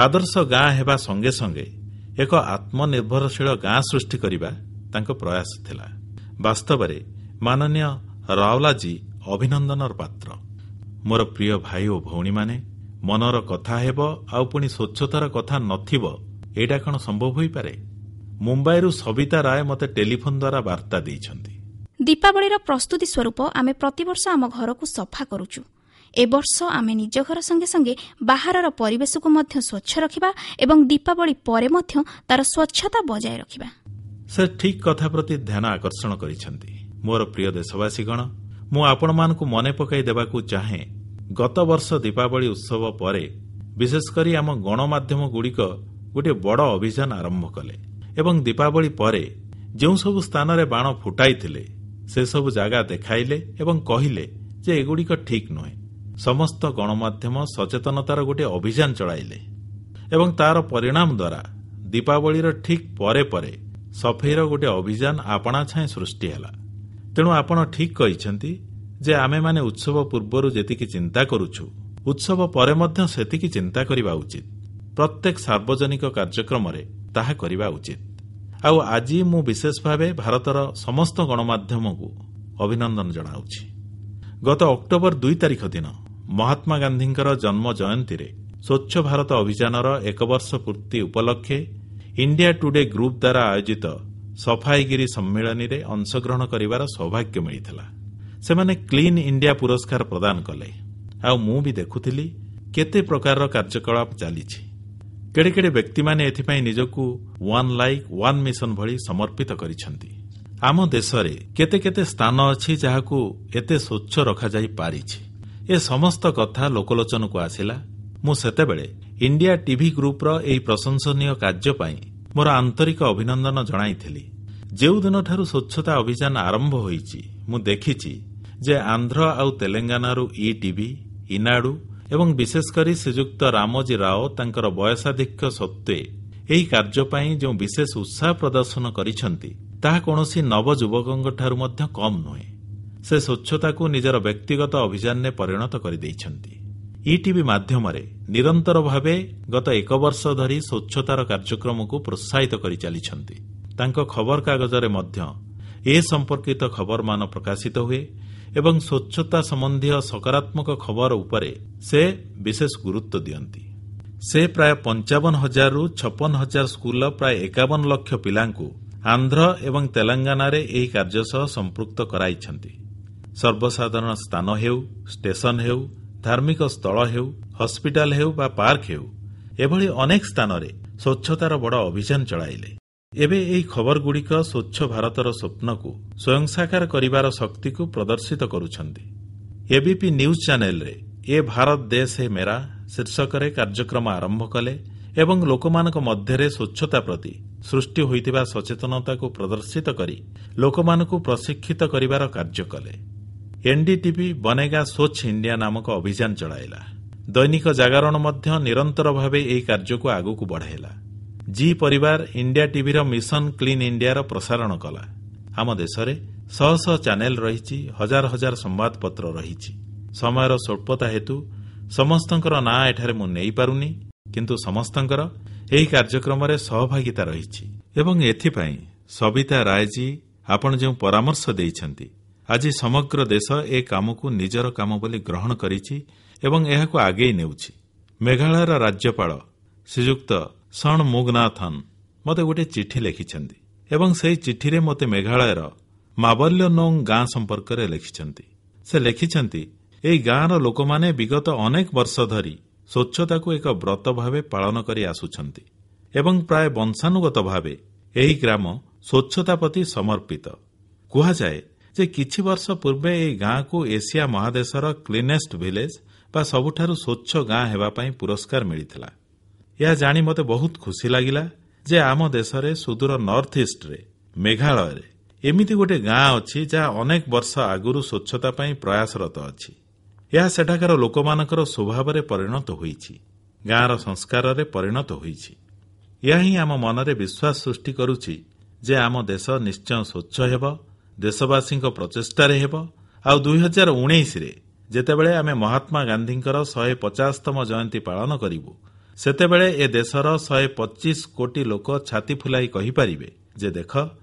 ଆଦର୍ଶ ଗାଁ ହେବା ସଙ୍ଗେ ସଙ୍ଗେ ଏକ ଆତ୍ମନିର୍ଭରଶୀଳ ଗାଁ ସୃଷ୍ଟି କରିବା ତାଙ୍କ ପ୍ରୟାସ ଥିଲା। ବାସ୍ତବରେ ମାନନୀୟ ରାୱଲାଜୀ ଅଭିନନ୍ଦନର ପାତ୍ର। ମୋର ପ୍ରିୟ ଭାଇ ଓ ଭଉଣୀମାନେ, ମନର କଥା ହେବ ଆଉ ପୁଣି ସ୍ୱଚ୍ଛତାର କଥା ନଥିବ, ଏଇଟା କଣ ସମ୍ଭବ ହୋଇପାରେ? ମୁମ୍ବାଇରୁ ସବିତା ରାୟ ମୋତେ ଟେଲିଫୋନ ଦ୍ୱାରା ବାର୍ତ୍ତା ଦେଇଛନ୍ତି। ଦୀପାବଳିର ପ୍ରସ୍ତୁତି ସ୍ୱରୂପ ଆମେ ପ୍ରତିବର୍ଷ ଆମ ଘରକୁ ସଫା କରୁଛୁ। ଏ ବର୍ଷ ଆମେ ନିଜ ଘର ସଙ୍ଗେ ସଙ୍ଗେ ବାହାରର ପରିବେଶକୁ ମଧ୍ୟ ସ୍ୱଚ୍ଛ ରଖିବା ଏବଂ ଦୀପାବଳି ପରେ ମଧ୍ୟ ତାର ସ୍ୱଚ୍ଛତା ବଜାୟ ରଖିବା। ସେ ଠିକ୍ କଥା ପ୍ରତି ଧ୍ୟାନ ଆକର୍ଷଣ କରିଛନ୍ତି। ମୋର ପ୍ରିୟ ଦେଶବାସୀଗଣ, ମୁଁ ଆପଣମାନଙ୍କୁ ମନେ ପକାଇ ଦେବାକୁ ଚାହେଁ, ଗତ ବର୍ଷ ଦୀପାବଳି ଉତ୍ସବ ପରେ ବିଶେଷ କରି ଆମ ଗଣମାଧ୍ୟମଗୁଡ଼ିକ ଗୋଟିଏ ବଡ଼ ଅଭିଯାନ ଆରମ୍ଭ କଲେ ଏବଂ ଦୀପାବଳି ପରେ ଯେଉଁ ସବୁ ସ୍ଥାନରେ ବାଣ ଫୁଟାଇଥିଲେ ସେସବୁ ଜାଗା ଦେଖାଇଲେ ଏବଂ କହିଲେ ଯେ ଏଗୁଡ଼ିକ ଠିକ୍ ନୁହେଁ। ସମସ୍ତ ଗଣମାଧ୍ୟମ ସଚେତନତାର ଗୋଟିଏ ଅଭିଯାନ ଚଳାଇଲେ ଏବଂ ତାର ପରିଣାମ ଦ୍ୱାରା ଦୀପାବଳିର ଠିକ୍ ପରେ ପରେ ସଫେଇର ଗୋଟିଏ ଅଭିଯାନ ଆପଣାଛାଏଁ ସୃଷ୍ଟି ହେଲା। ତେଣୁ ଆପଣ ଠିକ୍ କହିଛନ୍ତି ଯେ ଆମେମାନେ ଉତ୍ସବ ପୂର୍ବରୁ ଯେତିକି ଚିନ୍ତା କରୁଛୁ, ଉତ୍ସବ ପରେ ମଧ୍ୟ ସେତିକି ଚିନ୍ତା କରିବା ଉଚିତ। ପ୍ରତ୍ୟେକ ସାର୍ବଜନିକ କାର୍ଯ୍ୟକ୍ରମରେ ତାହା କରିବା ଉଚିତ। ଆଉ ଆଜି ମୁଁ ବିଶେଷ ଭାବେ ଭାରତର ସମସ୍ତ ଗଣମାଧ୍ୟମକୁ ଅଭିନନ୍ଦନ ଜଣାଉଛି। ଗତ ଅକ୍ଟୋବର ଦୁଇ ତାରିଖ ଦିନ ମହାତ୍ମା ଗାନ୍ଧୀଙ୍କର ଜନ୍ମ ଜୟନ୍ତୀରେ ସ୍ୱଚ୍ଛ ଭାରତ ଅଭିଯାନର ଏକ ବର୍ଷ ପୂର୍ତ୍ତି ଉପଲକ୍ଷେ ଇଣ୍ଡିଆ ଟୁଡେ ଗ୍ରୁପ ଦ୍ୱାରା ଆୟୋଜିତ ସଫାଇଗିରି ସମ୍ମିଳନୀରେ ଅଂଶଗ୍ରହଣ କରିବାର ସୌଭାଗ୍ୟ ମିଳିଥିଲା। ସେମାନେ କ୍ଲିନ୍ ଇଣ୍ଡିଆ ପୁରସ୍କାର ପ୍ରଦାନ କଲେ। ଆଉ ମୁଁ ବି ଦେଖୁଥିଲି କେତେ ପ୍ରକାରର କାର୍ଯ୍ୟକଳାପ ଚାଲିଛି। କେଡ଼େ କେଡ଼େ ବ୍ୟକ୍ତିମାନେ ଏଥିପାଇଁ ନିଜକୁ ୱାନ୍ ଲାଇକ୍ ୱାନ୍ ମିଶନ ଭଳି ସମର୍ପିତ କରିଛନ୍ତି। ଆମ ଦେଶରେ କେତେ କେତେ ସ୍ଥାନ ଅଛି ଯାହାକୁ ଏତେ ସ୍ୱଚ୍ଛ ରଖାଯାଇପାରିଛି। ଏ ସମସ୍ତ କଥା ଲୋକଲୋଚନକୁ ଆସିଲା। ମୁଁ ସେତେବେଳେ ଇଣ୍ଡିଆ ଟିଭି ଗ୍ରୁପର ଏହି ପ୍ରଶଂସନୀୟ କାର୍ଯ୍ୟ ପାଇଁ ମୋର ଆନ୍ତରିକ ଅଭିନନ୍ଦନ ଜଣାଇଥିଲି। ଯେଉଁଦିନଠାରୁ ସ୍ୱଚ୍ଛତା ଅଭିଯାନ ଆରମ୍ଭ ହୋଇଛି, ମୁଁ ଦେଖିଛି ଯେ ଆନ୍ଧ୍ର ଆଉ ତେଲେଙ୍ଗାନାରୁ ଇଟିଭି, ଇନାଡୁ ଏବଂ ବିଶେଷ କରି ଶ୍ରୀଯୁକ୍ତ ରାମୋଜୀ ରାଓ ତାଙ୍କର ବୟସାଧିକ୍ୟ ସତ୍ତ୍ୱେ ଏହି କାର୍ଯ୍ୟ ପାଇଁ ଯେଉଁ ବିଶେଷ ଉତ୍ସାହ ପ୍ରଦର୍ଶନ କରିଛନ୍ତି, ତାହା କୌଣସି ନବଯୁବକଙ୍କଠାରୁ ମଧ୍ୟ କମ୍ ନୁହେଁ। ସେ ସ୍ୱଚ୍ଛତାକୁ ନିଜର ବ୍ୟକ୍ତିଗତ ଅଭିଯାନରେ ପରିଣତ କରିଦେଇଛନ୍ତି। ଇଟିଭି ମାଧ୍ୟମରେ ନିରନ୍ତର ଭାବେ ଗତ ଏକ ବର୍ଷ ଧରି ସ୍ୱଚ୍ଛତାର କାର୍ଯ୍ୟକ୍ରମକୁ ପ୍ରୋତ୍ସାହିତ କରି ଚାଲିଛନ୍ତି। ତାଙ୍କ ଖବରକାଗଜରେ ମଧ୍ୟ ଏ ସମ୍ପର୍କିତ ଖବରମାନ ପ୍ରକାଶିତ ହୁଏ ଏବଂ ସ୍ୱଚ୍ଛତା ସମ୍ବନ୍ଧୀୟ ସକାରାତ୍ମକ ଖବର ଉପରେ ସେ ବିଶେଷ ଗୁରୁତ୍ୱ ଦିଅନ୍ତି। ସେ ପ୍ରାୟ ପଞ୍ଚାବନ ହଜାରରୁ ଛପନ ହଜାର ସ୍କୁଲର ପ୍ରାୟ ଏକାବନ ଲକ୍ଷ ପିଲାଙ୍କୁ ଆନ୍ଧ୍ର ଏବଂ ତେଲେଙ୍ଗାନାରେ ଏହି କାର୍ଯ୍ୟ ସହ ସମ୍ପୃକ୍ତ କରାଇଛନ୍ତି। ସର୍ବସାଧାରଣ ସ୍ଥାନ ହେଉ, ଷ୍ଟେସନ ହେଉ, ଧାର୍ମିକ ସ୍ଥଳ ହେଉ, ହସ୍ପିଟାଲ ହେଉ ବା ପାର୍କ ହେଉ, ଏଭଳି ଅନେକ ସ୍ଥାନରେ ସ୍ୱଚ୍ଛତାର ବଡ଼ ଅଭିଯାନ ଚଳାଇଲେ। ଏବେ ଏହି ଖବରଗୁଡ଼ିକ ସ୍ୱଚ୍ଛ ଭାରତର ସ୍ୱପ୍ନକୁ ସ୍ୱୟଂସାକାର କରିବାର ଶକ୍ତିକୁ ପ୍ରଦର୍ଶିତ କରୁଛନ୍ତି। ଏବିପି ନ୍ୟୁଜ୍ ଚ୍ୟାନେଲରେ ଏ ଭାରତ ଦେଶ ହେ ମେରା ଶୀର୍ଷକରେ କାର୍ଯ୍ୟକ୍ରମ ଆରମ୍ଭ କଲେ ଏବଂ ଲୋକମାନଙ୍କ ମଧ୍ୟରେ ସ୍ୱଚ୍ଛତା ପ୍ରତି ସୃଷ୍ଟି ହୋଇଥିବା ସଚେତନତାକୁ ପ୍ରଦର୍ଶିତ କରି ଲୋକମାନଙ୍କୁ ପ୍ରଶିକ୍ଷିତ କରିବାର କାର୍ଯ୍ୟ କଲେ। ଏନ୍ଡିଟିଭି ବନେଗା ସ୍ୱଚ୍ଛ ଇଣ୍ଡିଆ ନାମକ ଅଭିଯାନ ଚଳାଇଲା। ଦୈନିକ ଜାଗରଣ ମଧ୍ୟ ନିରନ୍ତର ଭାବେ ଏହି କାର୍ଯ୍ୟକୁ ଆଗକୁ ବଢ଼ାଇଲା। ଜି ପରିବାର ଇଣ୍ଡିଆ ଟିଭିର ମିଶନ କ୍ଲିନ୍ ଇଣ୍ଡିଆର ପ୍ରସାରଣ କଲା। ଆମ ଦେଶରେ ଶହ ଶହ ଚ୍ୟାନେଲ ରହିଛି, ହଜାର ହଜାର ସମ୍ବାଦପତ୍ର ରହିଛି। ସମୟର ସ୍ୱଳ୍ପତା ହେତୁ ସମସ୍ତଙ୍କର ନାଁ ଏଠାରେ ମୁଁ ନେଇପାରୁନି, କିନ୍ତୁ ସମସ୍ତଙ୍କର ଏହି କାର୍ଯ୍ୟକ୍ରମରେ ସହଭାଗିତା ରହିଛି ଏବଂ ଏଥିପାଇଁ ସବିତା ରାୟଜୀ ଆପଣ ଯେଉଁ ପରାମର୍ଶ ଦେଇଛନ୍ତି, ଆଜି ସମଗ୍ର ଦେଶ ଏ କାମକୁ ନିଜର କାମ ବୋଲି ଗ୍ରହଣ କରିଛି ଏବଂ ଏହାକୁ ଆଗେଇ ନେଉଛି। ମେଘାଳୟର ରାଜ୍ୟପାଳ ଶ୍ରୀଯୁକ୍ତ ଷଣମୁଗନାଥନ ମୋତେ ଗୋଟିଏ ଚିଠି ଲେଖିଛନ୍ତି ଏବଂ ସେହି ଚିଠିରେ ମୋତେ ମେଘାଳୟର ମାବଲ୍ୟନୋଙ୍ଗ ଗାଁ ସମ୍ପର୍କରେ ଲେଖିଛନ୍ତି। ସେ ଲେଖିଛନ୍ତି, ଏହି ଗାଁର ଲୋକମାନେ ବିଗତ ଅନେକ ବର୍ଷ ଧରି ସ୍ୱଚ୍ଛତାକୁ ଏକ ବ୍ରତ ଭାବେ ପାଳନ କରି ଆସୁଛନ୍ତି ଏବଂ ପ୍ରାୟ ବଂଶାନୁଗତ ଭାବେ ଏହି ଗ୍ରାମ ସ୍ୱଚ୍ଛତା ପ୍ରତି ସମର୍ପିତ। କୁହାଯାଏ ଯେ କିଛି ବର୍ଷ ପୂର୍ବେ ଏହି ଗାଁକୁ ଏସିଆ ମହାଦେଶର କ୍ଲିନେଷ୍ଟ ଭିଲେଜ ବା ସବୁଠାରୁ ସ୍ୱଚ୍ଛ ଗାଁ ହେବା ପାଇଁ ପୁରସ୍କାର ମିଳିଥିଲା। ଏହା ଜାଣି ମୋତେ ବହୁତ ଖୁସି ଲାଗିଲା ଯେ ଆମ ଦେଶରେ ସୁଦୂର ନର୍ଥ ଇଷ୍ଟରେ, ମେଘାଳୟରେ ଏମିତି ଗୋଟିଏ ଗାଁ ଅଛି ଯାହା ଅନେକ ବର୍ଷ ଆଗରୁ ସ୍ୱଚ୍ଛତା ପାଇଁ ପ୍ରୟାସରତ ଅଛି। ଏହା ସେଠାକାର ଲୋକମାନଙ୍କର ସ୍ୱଭାବରେ ପରିଣତ ହୋଇଛି, ଗାଁର ସଂସ୍କାରରେ ପରିଣତ ହୋଇଛି। ଏହା ହିଁ ଆମ ମନରେ ବିଶ୍ୱାସ ସୃଷ୍ଟି କରୁଛି ଯେ ଆମ ଦେଶ ନିଶ୍ଚୟ ସ୍ୱଚ୍ଛ ହେବ, ଦେଶବାସୀଙ୍କ ପ୍ରଚେଷ୍ଟାରେ ହେବ। ଆଉ ଦୁଇ ହଜାର ଉଣେଇଶରେ ଯେତେବେଳେ ଆମେ ମହାତ୍ମା ଗାନ୍ଧୀଙ୍କର ଶହେ ପଚାଶତମ ଜୟନ୍ତୀ ପାଳନ କରିବୁ, ସେତେବେଳେ ଏ ଦେଶର ଶହେ ପଚିଶ କୋଟି ଲୋକ ଛାତି ଫୁଲାଇ କହିପାରିବେ ଯେ ଦେଖ,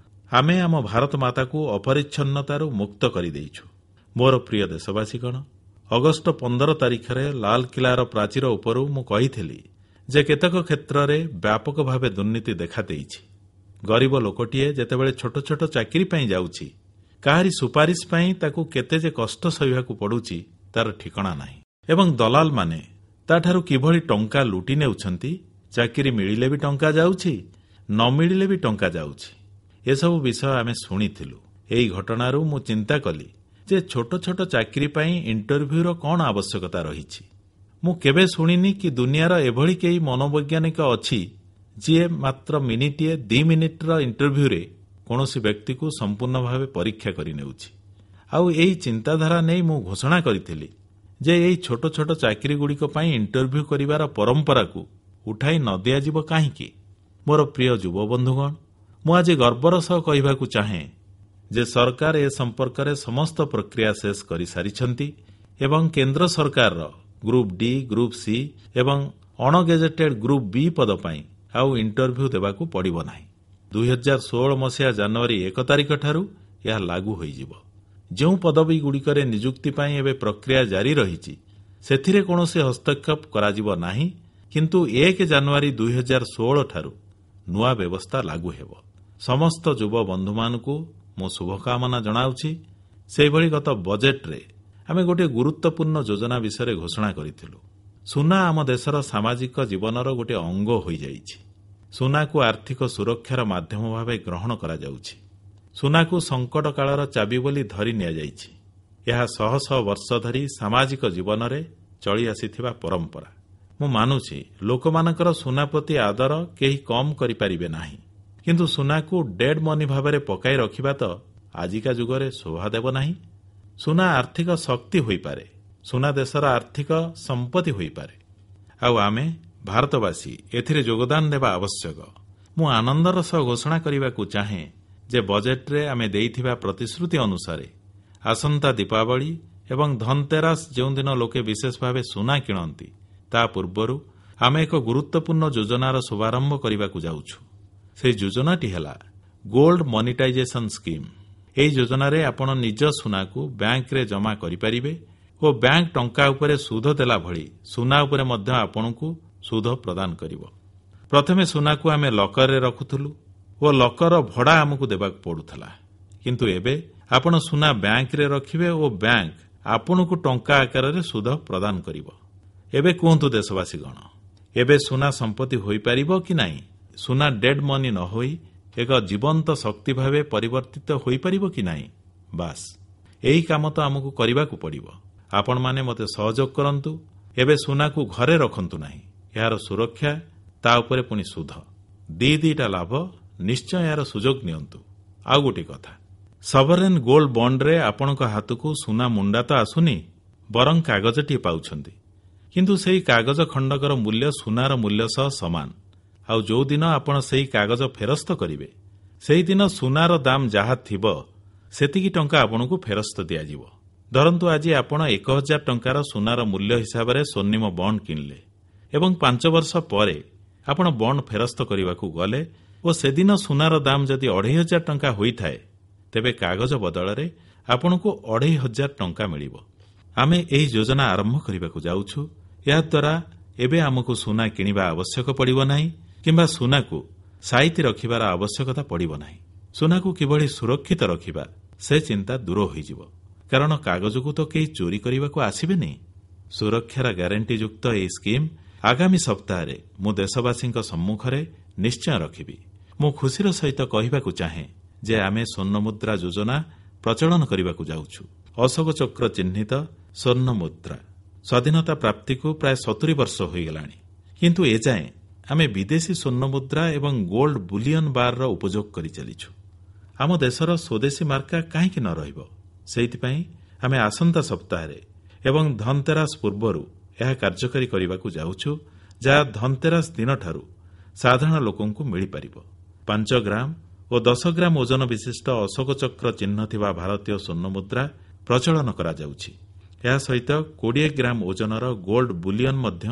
ଆମେ ଆମ ଭାରତ ମାତାକୁ ଅପରିଚ୍ଛନ୍ନତାରୁ ମୁକ୍ତ କରିଦେଇଛୁ। ମୋର ପ୍ରିୟ ଦେଶବାସୀଗଣ, ଅଗଷ୍ଟ ପନ୍ଦର ତାରିଖରେ ଲାଲକିଲ୍ଲାର ପ୍ରାଚୀର ଉପରୁ ମୁଁ କହିଥିଲି ଯେ କେତେକ କ୍ଷେତ୍ରରେ ବ୍ୟାପକ ଭାବେ ଦୁର୍ନୀତି ଦେଖାଦେଇଛି। ଗରିବ ଲୋକଟିଏ ଯେତେବେଳେ ଛୋଟ ଛୋଟ ଚାକିରି ପାଇଁ ଯାଉଛି, କାହାରି ସୁପାରିଶ ପାଇଁ ତାକୁ କେତେ ଯେ କଷ୍ଟ ସହିବାକୁ ପଡ଼ୁଛି ତାର ଠିକଣା ନାହିଁ ଏବଂ ଦଲାଲମାନେ ତାଠାରୁ କିଭଳି ଟଙ୍କା ଲୁଟି ନେଉଛନ୍ତି। ଚାକିରି ମିଳିଲେ ବି ଟଙ୍କା ଯାଉଛି, ନ ମିଳିଲେ ବି ଟଙ୍କା ଯାଉଛି। ଏସବୁ ବିଷୟ ଆମେ ଶୁଣିଥିଲୁ। ଏହି ଘଟଣାରୁ ମୁଁ ଚିନ୍ତା କଲି ଯେ ଛୋଟ ଛୋଟ ଚାକିରି ପାଇଁ ଇଣ୍ଟରଭ୍ୟୁର କଣ ଆବଶ୍ୟକତା ରହିଛି। ମୁଁ କେବେ ଶୁଣିନି କି ଦୁନିଆର ଏଭଳି କେହି ମନୋବୈଜ୍ଞାନିକ ଅଛି ଯିଏ ମାତ୍ର ମିନିଟିଏ ଦି ମିନିଟର ଇଣ୍ଟରଭ୍ୟୁରେ କୌଣସି ବ୍ୟକ୍ତିକୁ ସମ୍ପୂର୍ଣ୍ଣ ଭାବେ ପରୀକ୍ଷା କରିନେଉଛି। ଆଉ ଏହି ଚିନ୍ତାଧାରା ନେଇ ମୁଁ ଘୋଷଣା କରିଥିଲି ଯେ ଏହି ଛୋଟ ଛୋଟ ଚାକିରିଗୁଡ଼ିକ ପାଇଁ ଇଣ୍ଟରଭ୍ୟୁ କରିବାର ପରମ୍ପରାକୁ ଉଠାଇ ନ ଦିଆଯିବ କାହିଁକି? ମୋର ପ୍ରିୟ ଯୁବବନ୍ଧୁଗଣ, ମୁଁ ଆଜି ଗର୍ବର ସହ କହିବାକୁ ଚାହେଁ ଯେ ସରକାର ଏ ସମ୍ପର୍କରେ ସମସ୍ତ ପ୍ରକ୍ରିୟା ଶେଷ କରିସାରିଛନ୍ତି ଏବଂ କେନ୍ଦ୍ର ସରକାରର ଗ୍ରୁପ ଡି, ଗ୍ରୁପ ସି ଏବଂ ଅଣଗେଜେଟେଡ୍ ଗ୍ରୁପ ବି ପଦ ପାଇଁ ଆଉ ଇଣ୍ଟରଭ୍ୟୁ ଦେବାକୁ ପଡ଼ିବ ନାହିଁ। ଦୁଇ ହଜାର ଷୋହଳ ମସିହା ଜାନୁଆରୀ ଏକ ତାରିଖ ଠାରୁ ଏହା ଲାଗୁ ହୋଇଯିବ। ଯେଉଁ ପଦବୀଗୁଡ଼ିକରେ ନିଯୁକ୍ତି ପାଇଁ ଏବେ ପ୍ରକ୍ରିୟା ଜାରି ରହିଛି, ସେଥିରେ କୌଣସି ହସ୍ତକ୍ଷେପ କରାଯିବ ନାହିଁ, କିନ୍ତୁ ଏକ ଜାନୁଆରୀ ଦୁଇ ହଜାର ଷୋହଳ ଠାରୁ ନୂଆ ବ୍ୟବସ୍ଥା ଲାଗୁ ହେବ। ସମସ୍ତ ଯୁବବନ୍ଧୁମାନଙ୍କୁ ମୁଁ ଶୁଭକାମନା ଜଣାଉଛି। ସେହିଭଳି ଗତ ବଜେଟରେ ଆମେ ଗୋଟିଏ ଗୁରୁତ୍ୱପୂର୍ଣ୍ଣ ଯୋଜନା ବିଷୟରେ ଘୋଷଣା କରିଥିଲୁ। ସୁନା ଆମ ଦେଶର ସାମାଜିକ ଜୀବନର ଗୋଟିଏ ଅଙ୍ଗ ହୋଇଯାଇଛି। ସୁନାକୁ ଆର୍ଥିକ ସୁରକ୍ଷାର ମାଧ୍ୟମ ଭାବେ ଗ୍ରହଣ କରାଯାଉଛି। ସୁନାକୁ ସଙ୍କଟ କାଳର ଚାବି ବୋଲି ଧରି ନିଆଯାଇଛି। ଏହା ଶହ ଶହ ବର୍ଷ ଧରି ସାମାଜିକ ଜୀବନରେ ଚଳି ଆସିଥିବା ପରମ୍ପରା। ମୁଁ ମାନୁଛି, ଲୋକମାନଙ୍କର ସୁନା ପ୍ରତି ଆଦର କେହି କମ୍ କରିପାରିବେ ନାହିଁ। କିନ୍ତୁ ସୁନାକୁ ଡେଡ୍ ମନି ଭାବରେ ପକାଇ ରଖିବା ତ ଆଜିକା ଯୁଗରେ ଶୋଭା ଦେବ ନାହିଁ। ସୁନା ଆର୍ଥିକ ଶକ୍ତି ହୋଇପାରେ, ସୁନା ଦେଶର ଆର୍ଥିକ ସମ୍ପତ୍ତି ହୋଇପାରେ ଆଉ ଆମେ ଭାରତବାସୀ ଏଥିରେ ଯୋଗଦାନ ଦେବା ଆବଶ୍ୟକ। ମୁଁ ଆନନ୍ଦର ସହ ଘୋଷଣା କରିବାକୁ ଚାହେଁ ଯେ ବଜେଟରେ ଆମେ ଦେଇଥିବା ପ୍ରତିଶ୍ରୁତି ଅନୁସାରେ ଆସନ୍ତା ଦୀପାବଳି ଏବଂ ଧନତେରାସ, ଯେଉଁଦିନ ଲୋକେ ବିଶେଷ ଭାବେ ସୁନା କିଣନ୍ତି, ତା ପୂର୍ବରୁ ଆମେ ଏକ ଗୁରୁତ୍ୱପୂର୍ଣ୍ଣ ଯୋଜନାର ଶୁଭାରମ୍ଭ କରିବାକୁ ଯାଉଛୁ। ସେହି ଯୋଜନାଟି ହେଲା ଗୋଲ୍ଡ ମନିଟାଇଜେସନ ସ୍କିମ୍। ଏହି ଯୋଜନାରେ ଆପଣ ନିଜ ସୁନାକୁ ବ୍ୟାଙ୍କରେ ଜମା କରିପାରିବେ ଓ ବ୍ୟାଙ୍କ ଟଙ୍କା ଉପରେ ସୁଧ ଦେଲା ଭଳି ସୁନା ଉପରେ ମଧ୍ୟ ଆପଣଙ୍କୁ ସୁଧ ପ୍ରଦାନ କରିବ। ପ୍ରଥମେ ସୁନାକୁ ଆମେ ଲକରରେ ରଖୁଥିଲୁ ଓ ଲକରର ଭଡ଼ା ଆମକୁ ଦେବାକୁ ପଡ଼ୁଥିଲା। କିନ୍ତୁ ଏବେ ଆପଣ ସୁନା ବ୍ୟାଙ୍କରେ ରଖିବେ ଓ ବ୍ୟାଙ୍କ ଆପଣଙ୍କୁ ଟଙ୍କା ଆକାରରେ ସୁଧ ପ୍ରଦାନ କରିବ। ଏବେ କୁହନ୍ତୁ ଦେଶବାସୀଗଣ, ଏବେ ସୁନା ସମ୍ପତ୍ତି ହୋଇପାରିବ କି ନାହିଁ? ସୁନା ଡେଡ୍ ମନି ନ ହୋଇ ଏକ ଜୀବନ୍ତ ଶକ୍ତି ଭାବେ ପରିବର୍ତ୍ତିତ ହୋଇପାରିବ କି ନାହିଁ? ବାସ୍, ଏହି କାମ ତ ଆମକୁ କରିବାକୁ ପଡ଼ିବ। ଆପଣମାନେ ମୋତେ ସହଯୋଗ କରନ୍ତୁ। ଏବେ ସୁନାକୁ ଘରେ ରଖନ୍ତୁ ନାହିଁ। ଏହାର ସୁରକ୍ଷା, ତା ଉପରେ ପୁଣି ସୁଧ, ଦି ଦିଟା ଲାଭ। ନିଶ୍ଚୟ ଏହାର ସୁଯୋଗ ନିଅନ୍ତୁ। ଆଉ ଗୋଟିଏ କଥା, ସଭରେନ୍ ଗୋଲ୍ଡ ବଣ୍ଡରେ ଆପଣଙ୍କ ହାତକୁ ସୁନା ମୁଣ୍ଡା ତ ଆସୁନି, ବରଂ କାଗଜଟିଏ ପାଉଛନ୍ତି। କିନ୍ତୁ ସେହି କାଗଜ ଖଣ୍ଡକର ମୂଲ୍ୟ ସୁନାର ମୂଲ୍ୟ ସହ ସମାନ। ଆଉ ଯେଉଁଦିନ ଆପଣ ସେହି କାଗଜ ଫେରସ୍ତ କରିବେ, ସେହିଦିନ ସୁନାର ଦାମ ଯାହା ଥିବ, ସେତିକି ଟଙ୍କା ଆପଣଙ୍କୁ ଫେରସ୍ତ ଦିଆଯିବ। ଧରନ୍ତୁ ଆଜି ଆପଣ ଏକ ହଜାର ଟଙ୍କାର ସୁନାର ମୂଲ୍ୟ ହିସାବରେ ସ୍ୱର୍ଣ୍ଣିମ ବଣ୍ଡ କିଣିଲେ ଏବଂ ପାଞ୍ଚ ବର୍ଷ ପରେ ଆପଣ ବଣ୍ଡ ଫେରସ୍ତ କରିବାକୁ ଗଲେ ଓ ସେଦିନ ସୁନାର ଦାମ ଯଦି ଅଢ଼େଇ ହଜାର ଟଙ୍କା ହୋଇଥାଏ, ତେବେ କାଗଜ ବଦଳରେ ଆପଣଙ୍କୁ ଅଢ଼େଇ ହଜାର ଟଙ୍କା ମିଳିବ। ଆମେ ଏହି ଯୋଜନା ଆରମ୍ଭ କରିବାକୁ ଯାଉଛୁ। ଏହାଦ୍ୱାରା ଏବେ ଆମକୁ ସୁନା କିଣିବା ଆବଶ୍ୟକ ପଡ଼ିବ ନାହିଁ କିମ୍ବା ସୁନାକୁ ସାଇତି ରଖିବାର ଆବଶ୍ୟକତା ପଡ଼ିବ ନାହିଁ। ସୁନାକୁ କିଭଳି ସୁରକ୍ଷିତ ରଖିବା, ସେ ଚିନ୍ତା ଦୂର ହୋଇଯିବ, କାରଣ କାଗଜକୁ ତ କେହି ଚୋରି କରିବାକୁ ଆସିବେନି। ସୁରକ୍ଷାର ଗ୍ୟାରେଣ୍ଟିଯୁକ୍ତ ଏହି ସ୍କିମ୍ ଆଗାମୀ ସପ୍ତାହରେ ମୁଁ ଦେଶବାସୀଙ୍କ ସମ୍ମୁଖରେ ନିଶ୍ଚୟ ରଖିବି। ମୁଁ ଖୁସିର ସହିତ କହିବାକୁ ଚାହେଁ ଯେ ଆମେ ସ୍ୱର୍ଣ୍ଣମୁଦ୍ରା ଯୋଜନା ପ୍ରଚଳନ କରିବାକୁ ଯାଉଛୁ। ଅଶୋକ ଚକ୍ର ଚିହ୍ନିତ ସ୍ୱର୍ଣ୍ଣ ମୁଦ୍ରା। ସ୍ୱାଧୀନତା ପ୍ରାପ୍ତିକୁ ପ୍ରାୟ ସତୁରି ବର୍ଷ ହୋଇଗଲାଣି, କିନ୍ତୁ ଏଯାଏଁ ଆମେ ବିଦେଶୀ ସ୍ୱର୍ଣ୍ଣମୁଦ୍ରା ଏବଂ ଗୋଲ୍ଡ ବୁଲିୟନ ବାରର ଉପଯୋଗ କରିଚାଲିଛୁ। ଆମ ଦେଶର ସ୍ୱଦେଶୀ ମାର୍କା କାହିଁକି ନ ରହିବ? ସେଇଥିପାଇଁ ଆମେ ଆସନ୍ତା ସପ୍ତାହରେ ଏବଂ ଧନତେରାସ ପୂର୍ବରୁ ଏହା କାର୍ଯ୍ୟକାରୀ କରିବାକୁ ଯାଉଛୁ, ଯାହା ଧନତେରାସ ଦିନଠାରୁ ସାଧାରଣ ଲୋକଙ୍କୁ ମିଳିପାରିବ। ପାଞ୍ଚ ଗ୍ରାମ ଓ ଦଶ ଗ୍ରାମ ଓଜନ ବିଶିଷ୍ଟ ଅଶୋକ ଚକ୍ର ଚିହ୍ନ ଥିବା ଭାରତୀୟ ସ୍ୱର୍ଣ୍ଣମୁଦ୍ରା ପ୍ରଚଳନ କରାଯାଉଛି। ଏହା ସହିତ କୋଡ଼ିଏ ଗ୍ରାମ ଓଜନର ଗୋଲ୍ଡ ବୁଲିୟନ ମଧ୍ୟ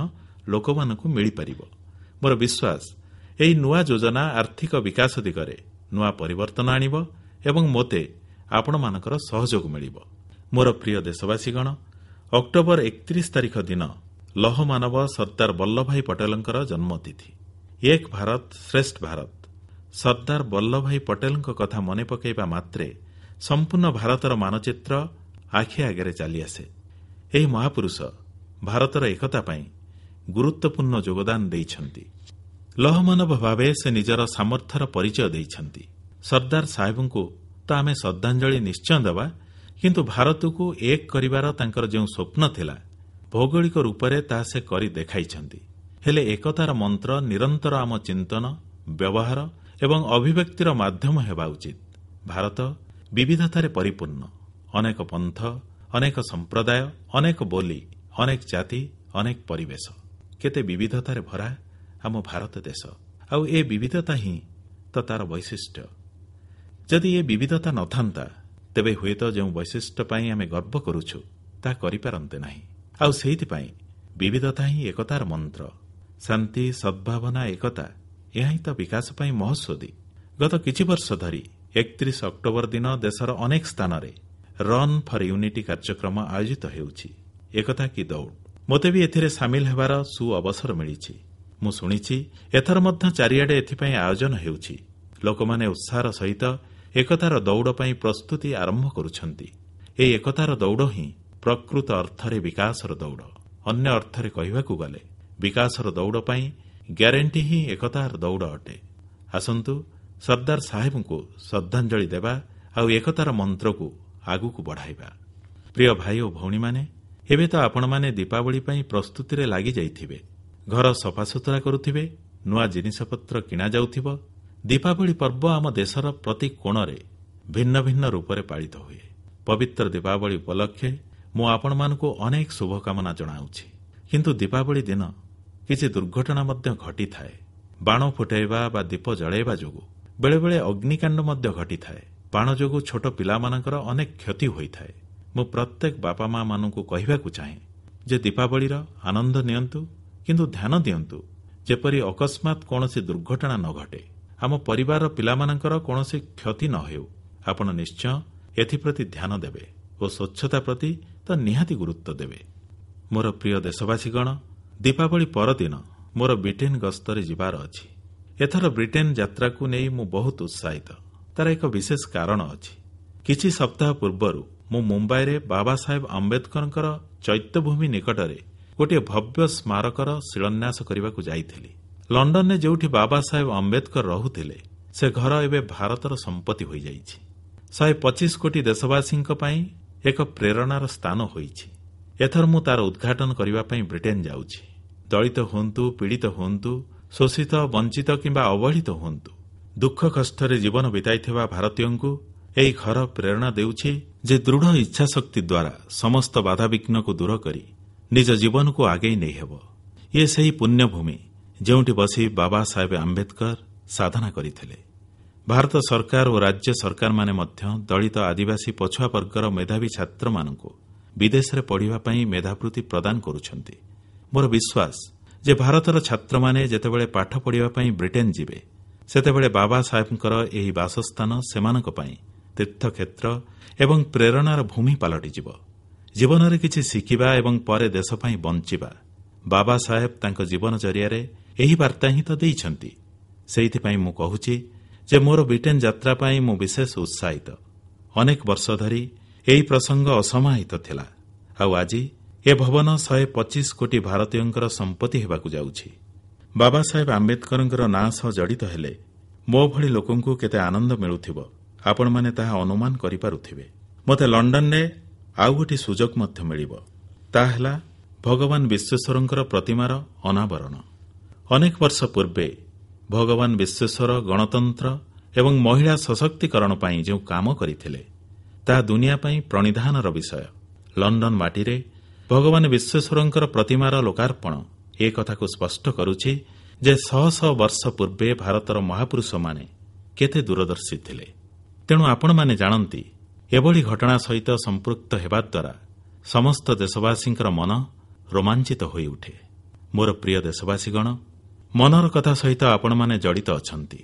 ଲୋକମାନଙ୍କୁ ମିଳିପାରିବ। ମୋର ବିଶ୍ୱାସ, ଏହି ନୂଆ ଯୋଜନା ଆର୍ଥିକ ବିକାଶ ଦିଗରେ ନୂଆ ପରିବର୍ତ୍ତନ ଆଣିବ ଏବଂ ମୋତେ ଆପଣମାନଙ୍କର ସହଯୋଗ ମିଳିବ। ମୋର ପ୍ରିୟ ଦେଶବାସୀଗଣ, ଅକ୍ଟୋବର ଏକତିରିଶ ତାରିଖ ଦିନ ଲୌହମାନବ ସର୍ଦ୍ଦାର ବଲ୍ଲଭଭାଇ ପଟେଲଙ୍କର ଜନ୍ମତିଥି। ଏକ ଭାରତ ଶ୍ରେଷ୍ଠ ଭାରତ। ସର୍ଦ୍ଦାର ବଲ୍ଲଭଭାଇ ପଟେଲଙ୍କ କଥା ମନେ ପକାଇବା ମାତ୍ରେ ସମ୍ପୂର୍ଣ୍ଣ ଭାରତର ମାନଚିତ୍ର ଆଖି ଆଗରେ ଚାଲିଆସେ। ଏହି ମହାପୁରୁଷ ଭାରତର ଏକତା ପାଇଁ ଗୁରୁତ୍ୱପୂର୍ଣ୍ଣ ଯୋଗଦାନ ଦେଇଛନ୍ତି। ଲୌହମାନବ ଭାବେ ସେ ନିଜର ସାମର୍ଥ୍ୟର ପରିଚୟ ଦେଇଛନ୍ତି। ସର୍ଦ୍ଦାର ସାହେବଙ୍କୁ ତ ଆମେ ଶ୍ରଦ୍ଧାଞ୍ଜଳି ନିଶ୍ଚୟ ଦେବା, କିନ୍ତୁ ଭାରତକୁ ଏକ କରିବାର ତାଙ୍କର ଯେଉଁ ସ୍ୱପ୍ନ ଥିଲା, ଭୌଗୋଳିକ ରୂପରେ ତାହା ସେ କରି ଦେଖାଇଛନ୍ତି। ହେଲେ ଏକତାର ମନ୍ତ୍ର ନିରନ୍ତର ଆମ ଚିନ୍ତନ, ବ୍ୟବହାର ଏବଂ ଅଭିବ୍ୟକ୍ତିର ମାଧ୍ୟମ ହେବା ଉଚିତ। ଭାରତ ବିବିଧତାରେ ପରିପୂର୍ଣ୍ଣ। ଅନେକ ପନ୍ଥ, ଅନେକ ସମ୍ପ୍ରଦାୟ, ଅନେକ ବୋଲି, ଅନେକ ଜାତି, ଅନେକ ପରିବେଶ। କେତେ ବିବିଧତାରେ ଭରା ଆମ ଭାରତ ଦେଶ। ଆଉ ଏ ବିବିଧତା ହିଁ ତ ତାର ବୈଶିଷ୍ଟ୍ୟ। ଯଦି ଏ ବିବିଧତା ନଥାନ୍ତା, ତେବେ ହୁଏତ ଯେଉଁ ବୈଶିଷ୍ଟ୍ୟ ପାଇଁ ଆମେ ଗର୍ବ କରୁଛୁ, ତାହା କରିପାରନ୍ତେ ନାହିଁ। ଆଉ ସେଇଥିପାଇଁ ବିବିଧତା ହିଁ ଏକତାର ମନ୍ତ୍ର। ଶାନ୍ତି, ସଦ୍ଭାବନା, ଏକତା, ଏହା ହିଁ ତ ବିକାଶ ପାଇଁ ମହୋଷଧି। ଗତ କିଛି ବର୍ଷ ଧରି ଏକତିରିଶ ଅକ୍ଟୋବର ଦିନ ଦେଶର ଅନେକ ସ୍ଥାନରେ ରନ୍ ଫର ୟୁନିଟି କାର୍ଯ୍ୟକ୍ରମ ଆୟୋଜିତ ହେଉଛି। ଏକତା କି ଦୌଡ଼। ମୋତେ ବି ଏଥିରେ ସାମିଲ ହେବାର ସୁଅବସର ମିଳିଛି। ମୁଁ ଶୁଣିଛି, ଏଥର ମଧ୍ୟ ଚାରିଆଡ଼େ ଏଥିପାଇଁ ଆୟୋଜନ ହେଉଛି। ଲୋକମାନେ ଉତ୍ସାହର ସହିତ ଏକତାର ଦୌଡ଼ ପାଇଁ ପ୍ରସ୍ତୁତି ଆରମ୍ଭ କରୁଛନ୍ତି। ଏହି ଏକତାର ଦୌଡ଼ ହିଁ ପ୍ରକୃତ ଅର୍ଥରେ ବିକାଶର ଦୌଡ଼। ଅନ୍ୟ ଅର୍ଥରେ କହିବାକୁ ଗଲେ, ବିକାଶର ଦୌଡ଼ ପାଇଁ ଗ୍ୟାରେଣ୍ଟି ହିଁ ଏକତାର ଦୌଡ଼ ଅଟେ। ଆସନ୍ତୁ, ସର୍ଦ୍ଦାର ସାହେବଙ୍କୁ ଶ୍ରଦ୍ଧାଞ୍ଜଳି ଦେବା ଆଉ ଏକତାର ମନ୍ତ୍ରକୁ ଆଗକୁ ବଢ଼ାଇବା। ପ୍ରିୟ ଭାଇ ଓ ଭଉଣୀମାନେ, ଏବେ ତ ଆପଣମାନେ ଦୀପାବଳି ପାଇଁ ପ୍ରସ୍ତୁତିରେ ଲାଗିଯାଇଥିବେ। ଘର ସଫାସୁତୁରା କରୁଥିବେ, ନୂଆ ଜିନିଷପତ୍ର କିଣାଯାଉଥିବ। ଦୀପାବଳି ପର୍ବ ଆମ ଦେଶର ପ୍ରତି କୋଣରେ ଭିନ୍ନ ଭିନ୍ନ ରୂପରେ ପାଳିତ ହୁଏ। ପବିତ୍ର ଦୀପାବଳି ଉପଲକ୍ଷେ ମୁଁ ଆପଣମାନଙ୍କୁ ଅନେକ ଶୁଭକାମନା ଜଣାଉଛି। କିନ୍ତୁ ଦୀପାବଳି ଦିନ କିଛି ଦୁର୍ଘଟଣା ମଧ୍ୟ ଘଟିଥାଏ। ବାଣ ଫୁଟାଇବା ବା ଦୀପ ଜଳାଇବା ଯୋଗୁଁ ବେଳେବେଳେ ଅଗ୍ନିକାଣ୍ଡ ମଧ୍ୟ ଘଟିଥାଏ। ବାଣ ଯୋଗୁଁ ଛୋଟ ପିଲାମାନଙ୍କର ଅନେକ କ୍ଷତି ହୋଇଥାଏ। ମୁଁ ପ୍ରତ୍ୟେକ ବାପା ମାମାନଙ୍କୁ କହିବାକୁ ଚାହେଁ ଯେ ଦୀପାବଳିର ଆନନ୍ଦ ନିଅନ୍ତୁ, କିନ୍ତୁ ଧ୍ୟାନ ଦିଅନ୍ତୁ ଯେପରି ଅକସ୍ମାତ କୌଣସି ଦୁର୍ଘଟଣା ନ ଘଟେ, ଆମ ପରିବାରର ପିଲାମାନଙ୍କର କୌଣସି କ୍ଷତି ନ ହେଉ। ଆପଣ ନିଶ୍ଚୟ ଏଥିପ୍ରତି ଧ୍ୟାନ ଦେବେ ଓ ସ୍ୱଚ୍ଛତା ପ୍ରତି ତ ନିହାତି ଗୁରୁତ୍ୱ ଦେବେ। ମୋର ପ୍ରିୟ ଦେଶବାସୀଗଣ, ଦୀପାବଳି ପରଦିନ ମୋର ବ୍ରିଟେନ ଗସ୍ତରେ ଯିବାର ଅଛି। ଏଥର ବ୍ରିଟେନ ଯାତ୍ରାକୁ ନେଇ ମୁଁ ବହୁତ ଉତ୍ସାହିତ। ତାର ଏକ ବିଶେଷ କାରଣ ଅଛି। କିଛି ସପ୍ତାହ ପୂର୍ବରୁ ମୁଁ ମୁମ୍ବାଇରେ ବାବା ସାହେବ ଆମ୍ବେଦକରଙ୍କର ଚୈତ୍ୟଭୂମି ନିକଟରେ ଗୋଟିଏ ଭବ୍ୟ ସ୍ମାରକର ଶିଳାନ୍ୟାସ କରିବାକୁ ଯାଇଥିଲି। ଲଣ୍ଡନରେ ଯେଉଁଠି ବାବା ସାହେବ ଆମ୍ବେଦକର ରହୁଥିଲେ, ସେ ଘର ଏବେ ଭାରତର ସମ୍ପତ୍ତି ହୋଇଯାଇଛି। ଶହେ ପଚିଶ କୋଟି ଦେଶବାସୀଙ୍କ ପାଇଁ ଏକ ପ୍ରେରଣାର ସ୍ଥାନ ହୋଇଛି। ଏଥର ମୁଁ ତାର ଉଦ୍ଘାଟନ କରିବା ପାଇଁ ବ୍ରିଟେନ ଯାଉଛି। ଦଳିତ ହୁଅନ୍ତୁ, ପୀଡ଼ିତ ହୁଅନ୍ତୁ, ଶୋଷିତ, ବଞ୍ଚିତ କିମ୍ବା ଅବହେଳିତ ହୁଅନ୍ତୁ, ଦୁଃଖ କଷ୍ଟରେ ଜୀବନ ବିତାଇଥିବା ଭାରତୀୟଙ୍କୁ ଏହି ଘର ପ୍ରେରଣା ଦେଉଛି ଯେ ଦୃଢ଼ ଇଚ୍ଛାଶକ୍ତି ଦ୍ୱାରା ସମସ୍ତ ବାଧାବିଘ୍ନକୁ ଦୂର କରି ନିଜ ଜୀବନକୁ ଆଗେଇ ନେଇହେବ। ଇଏ ସେହି ପୁଣ୍ୟଭୂମି ଯେଉଁଠି ବସି ବାବା ସାହେବ ଆମ୍ବେଦକର ସାଧନା କରିଥିଲେ। ଭାରତ ସରକାର ଓ ରାଜ୍ୟ ସରକାରମାନେ ମଧ୍ୟ ଦଳିତ, ଆଦିବାସୀ, ପଛୁଆ ବର୍ଗର ମେଧାବୀ ଛାତ୍ରମାନଙ୍କୁ ବିଦେଶରେ ପଢ଼ିବା ପାଇଁ ମେଧାବୃତ୍ତି ପ୍ରଦାନ କରୁଛନ୍ତି। ମୋର ବିଶ୍ୱାସ ଯେ ଭାରତର ଛାତ୍ରମାନେ ଯେତେବେଳେ ପାଠ ପଢ଼ିବା ପାଇଁ ବ୍ରିଟେନ ଯିବେ, ସେତେବେଳେ ବାବା ସାହେବଙ୍କର ଏହି ବାସସ୍ଥାନ ସେମାନଙ୍କ ପାଇଁ ତୀର୍ଥକ୍ଷେତ୍ର ଏବଂ ପ୍ରେରଣାର ଭୂମି ପାଲଟିଯିବ। ଜୀବନରେ କିଛି ଶିଖିବା ଏବଂ ପରେ ଦେଶ ପାଇଁ ବଞ୍ଚିବା, ବାବା ସାହେବ ତାଙ୍କ ଜୀବନ ଜରିଆରେ ଏହି ବାର୍ତ୍ତା ହିଁ ତ ଦେଇଛନ୍ତି। ସେଇଥିପାଇଁ ମୁଁ କହୁଛି ଯେ ମୋର ବ୍ରିଟେନ ଯାତ୍ରା ପାଇଁ ମୁଁ ବିଶେଷ ଉତ୍ସାହିତ। ଅନେକ ବର୍ଷ ଧରି ଏହି ପ୍ରସଙ୍ଗ ଅସମାହିତ ଥିଲା, ଆଉ ଆଜି ଏ ଭବନ ଶହେ ପଚିଶ କୋଟି ଭାରତୀୟଙ୍କର ସମ୍ପତ୍ତି ହେବାକୁ ଯାଉଛି। ବାବା ସାହେବ ଆମ୍ବେଦକରଙ୍କର ନାଁ ସହ ଜଡ଼ିତ ହେଲେ ମୋ ଭଳି ଲୋକଙ୍କୁ କେତେ ଆନନ୍ଦ ମିଳୁଥିବ, ଆପଣମାନେ ତାହା ଅନୁମାନ କରିପାରୁଥିବେ। ମୋତେ ଲଣ୍ଡନରେ ଆଉ ଗୋଟିଏ ସୁଯୋଗ ମଧ୍ୟ ମିଳିବ। ତାହା ହେଲା ଭଗବାନ ବିଶ୍ୱେଶ୍ୱରଙ୍କର ପ୍ରତିମାର ଅନାବରଣ। ଅନେକ ବର୍ଷ ପୂର୍ବେ ଭଗବାନ ବିଶ୍ୱେଶ୍ୱର ଗଣତନ୍ତ୍ର ଏବଂ ମହିଳା ସଶକ୍ତିକରଣ ପାଇଁ ଯେଉଁ କାମ କରିଥିଲେ, ତାହା ଦୁନିଆ ପାଇଁ ପ୍ରଣିଧାନର ବିଷୟ। ଲଣ୍ଡନ ମାଟିରେ ଭଗବାନ ବିଶ୍ୱେଶ୍ୱରଙ୍କର ପ୍ରତିମାର ଲୋକାର୍ପଣ ଏ କଥାକୁ ସ୍ପଷ୍ଟ କରୁଛି ଯେ ଶହ ଶହ ବର୍ଷ ପୂର୍ବେ ଭାରତର ମହାପୁରୁଷମାନେ କେତେ ଦୂରଦର୍ଶୀ ଥିଲେ। ତେଣୁ ଆପଣମାନେ ଜାଣନ୍ତି, ଏଭଳି ଘଟଣା ସହିତ ସମ୍ପୃକ୍ତ ହେବା ଦ୍ୱାରା ସମସ୍ତ ଦେଶବାସୀଙ୍କର ମନ ରୋମାଞ୍ଚିତ ହୋଇଉଠେ। ମୋର ପ୍ରିୟ ଦେଶବାସୀଗଣ, ମନର କଥା ସହିତ ଆପଣମାନେ ଜଡ଼ିତ ଅଛନ୍ତି।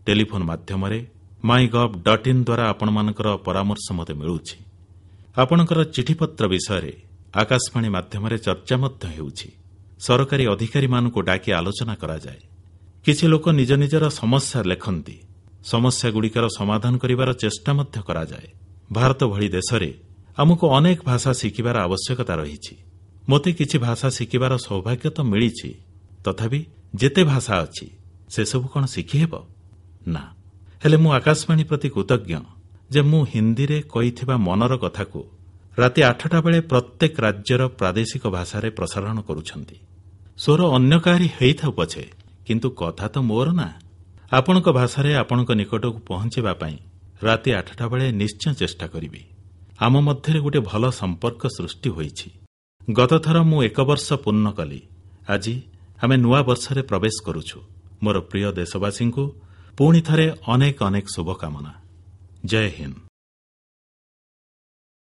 ଟେଲିଫୋନ୍ ମାଧ୍ୟମରେ, ମାଇ ଗଭ୍ ଡଟ୍ ଇନ୍ ଦ୍ୱାରା ଆପଣମାନଙ୍କର ପରାମର୍ଶ ମୋତେ ମିଳୁଛି। ଆପଣଙ୍କର ଚିଠିପତ୍ର ବିଷୟରେ ଆକାଶବାଣୀ ମାଧ୍ୟମରେ ଚର୍ଚ୍ଚା ମଧ୍ୟ ହେଉଛି। ସରକାରୀ ଅଧିକାରୀମାନଙ୍କୁ ଡାକି ଆଲୋଚନା କରାଯାଏ। କିଛି ଲୋକ ନିଜ ନିଜର ସମସ୍ୟା ଲେଖନ୍ତି। ସମସ୍ୟାଗୁଡ଼ିକର ସମାଧାନ କରିବାର ଚେଷ୍ଟା ମଧ୍ୟ କରାଯାଏ। ଭାରତ ଭଳି ଦେଶରେ ଆମକୁ ଅନେକ ଭାଷା ଶିଖିବାର ଆବଶ୍ୟକତା ରହିଛି। ମୋତେ କିଛି ଭାଷା ଶିଖିବାର ସୌଭାଗ୍ୟ ତ ମିଳିଛି, ତଥାପି ଯେତେ ଭାଷା ଅଛି ସେସବୁ କଣ ଶିଖିହେବ? ନା। ହେଲେ ମୁଁ ଆକାଶବାଣୀ ପ୍ରତି କୃତଜ୍ଞ ଯେ ମୁଁ ହିନ୍ଦୀରେ କହିଥିବା ମନର କଥାକୁ ରାତି ଆଠଟା ବେଳେ ପ୍ରତ୍ୟେକ ରାଜ୍ୟର ପ୍ରାଦେଶିକ ଭାଷାରେ ପ୍ରସାରଣ କରୁଛନ୍ତି। ସ୍ୱର ଅନ୍ୟ କାହାରି ହୋଇଥାଉ ପଛେ, କିନ୍ତୁ କଥା ତ ମୋର ନା। ଆପଣଙ୍କ ଭାଷାରେ ଆପଣଙ୍କ ନିକଟକୁ ପହଂଚିବା ପାଇଁ ରାତି ଆଠଟା ବେଳେ ନିଶ୍ଚୟ ଚେଷ୍ଟା କରିବି। ଆମ ମଧ୍ୟରେ ଗୋଟିଏ ଭଲ ସମ୍ପର୍କ ସୃଷ୍ଟି ହୋଇଛି। ଗତଥର ମୁଁ ଏକ ବର୍ଷ ପୂର୍ଣ୍ଣ କଲି। ଆଜି ଆମେ ନୂଆ ବର୍ଷରେ ପ୍ରବେଶ କରୁଛୁ। ମୋର ପ୍ରିୟ ଦେଶବାସୀଙ୍କୁ ପୁଣି ଥରେ ଅନେକ ଅନେକ ଶୁଭକାମନା। ଜୟ ହିନ୍ଦ।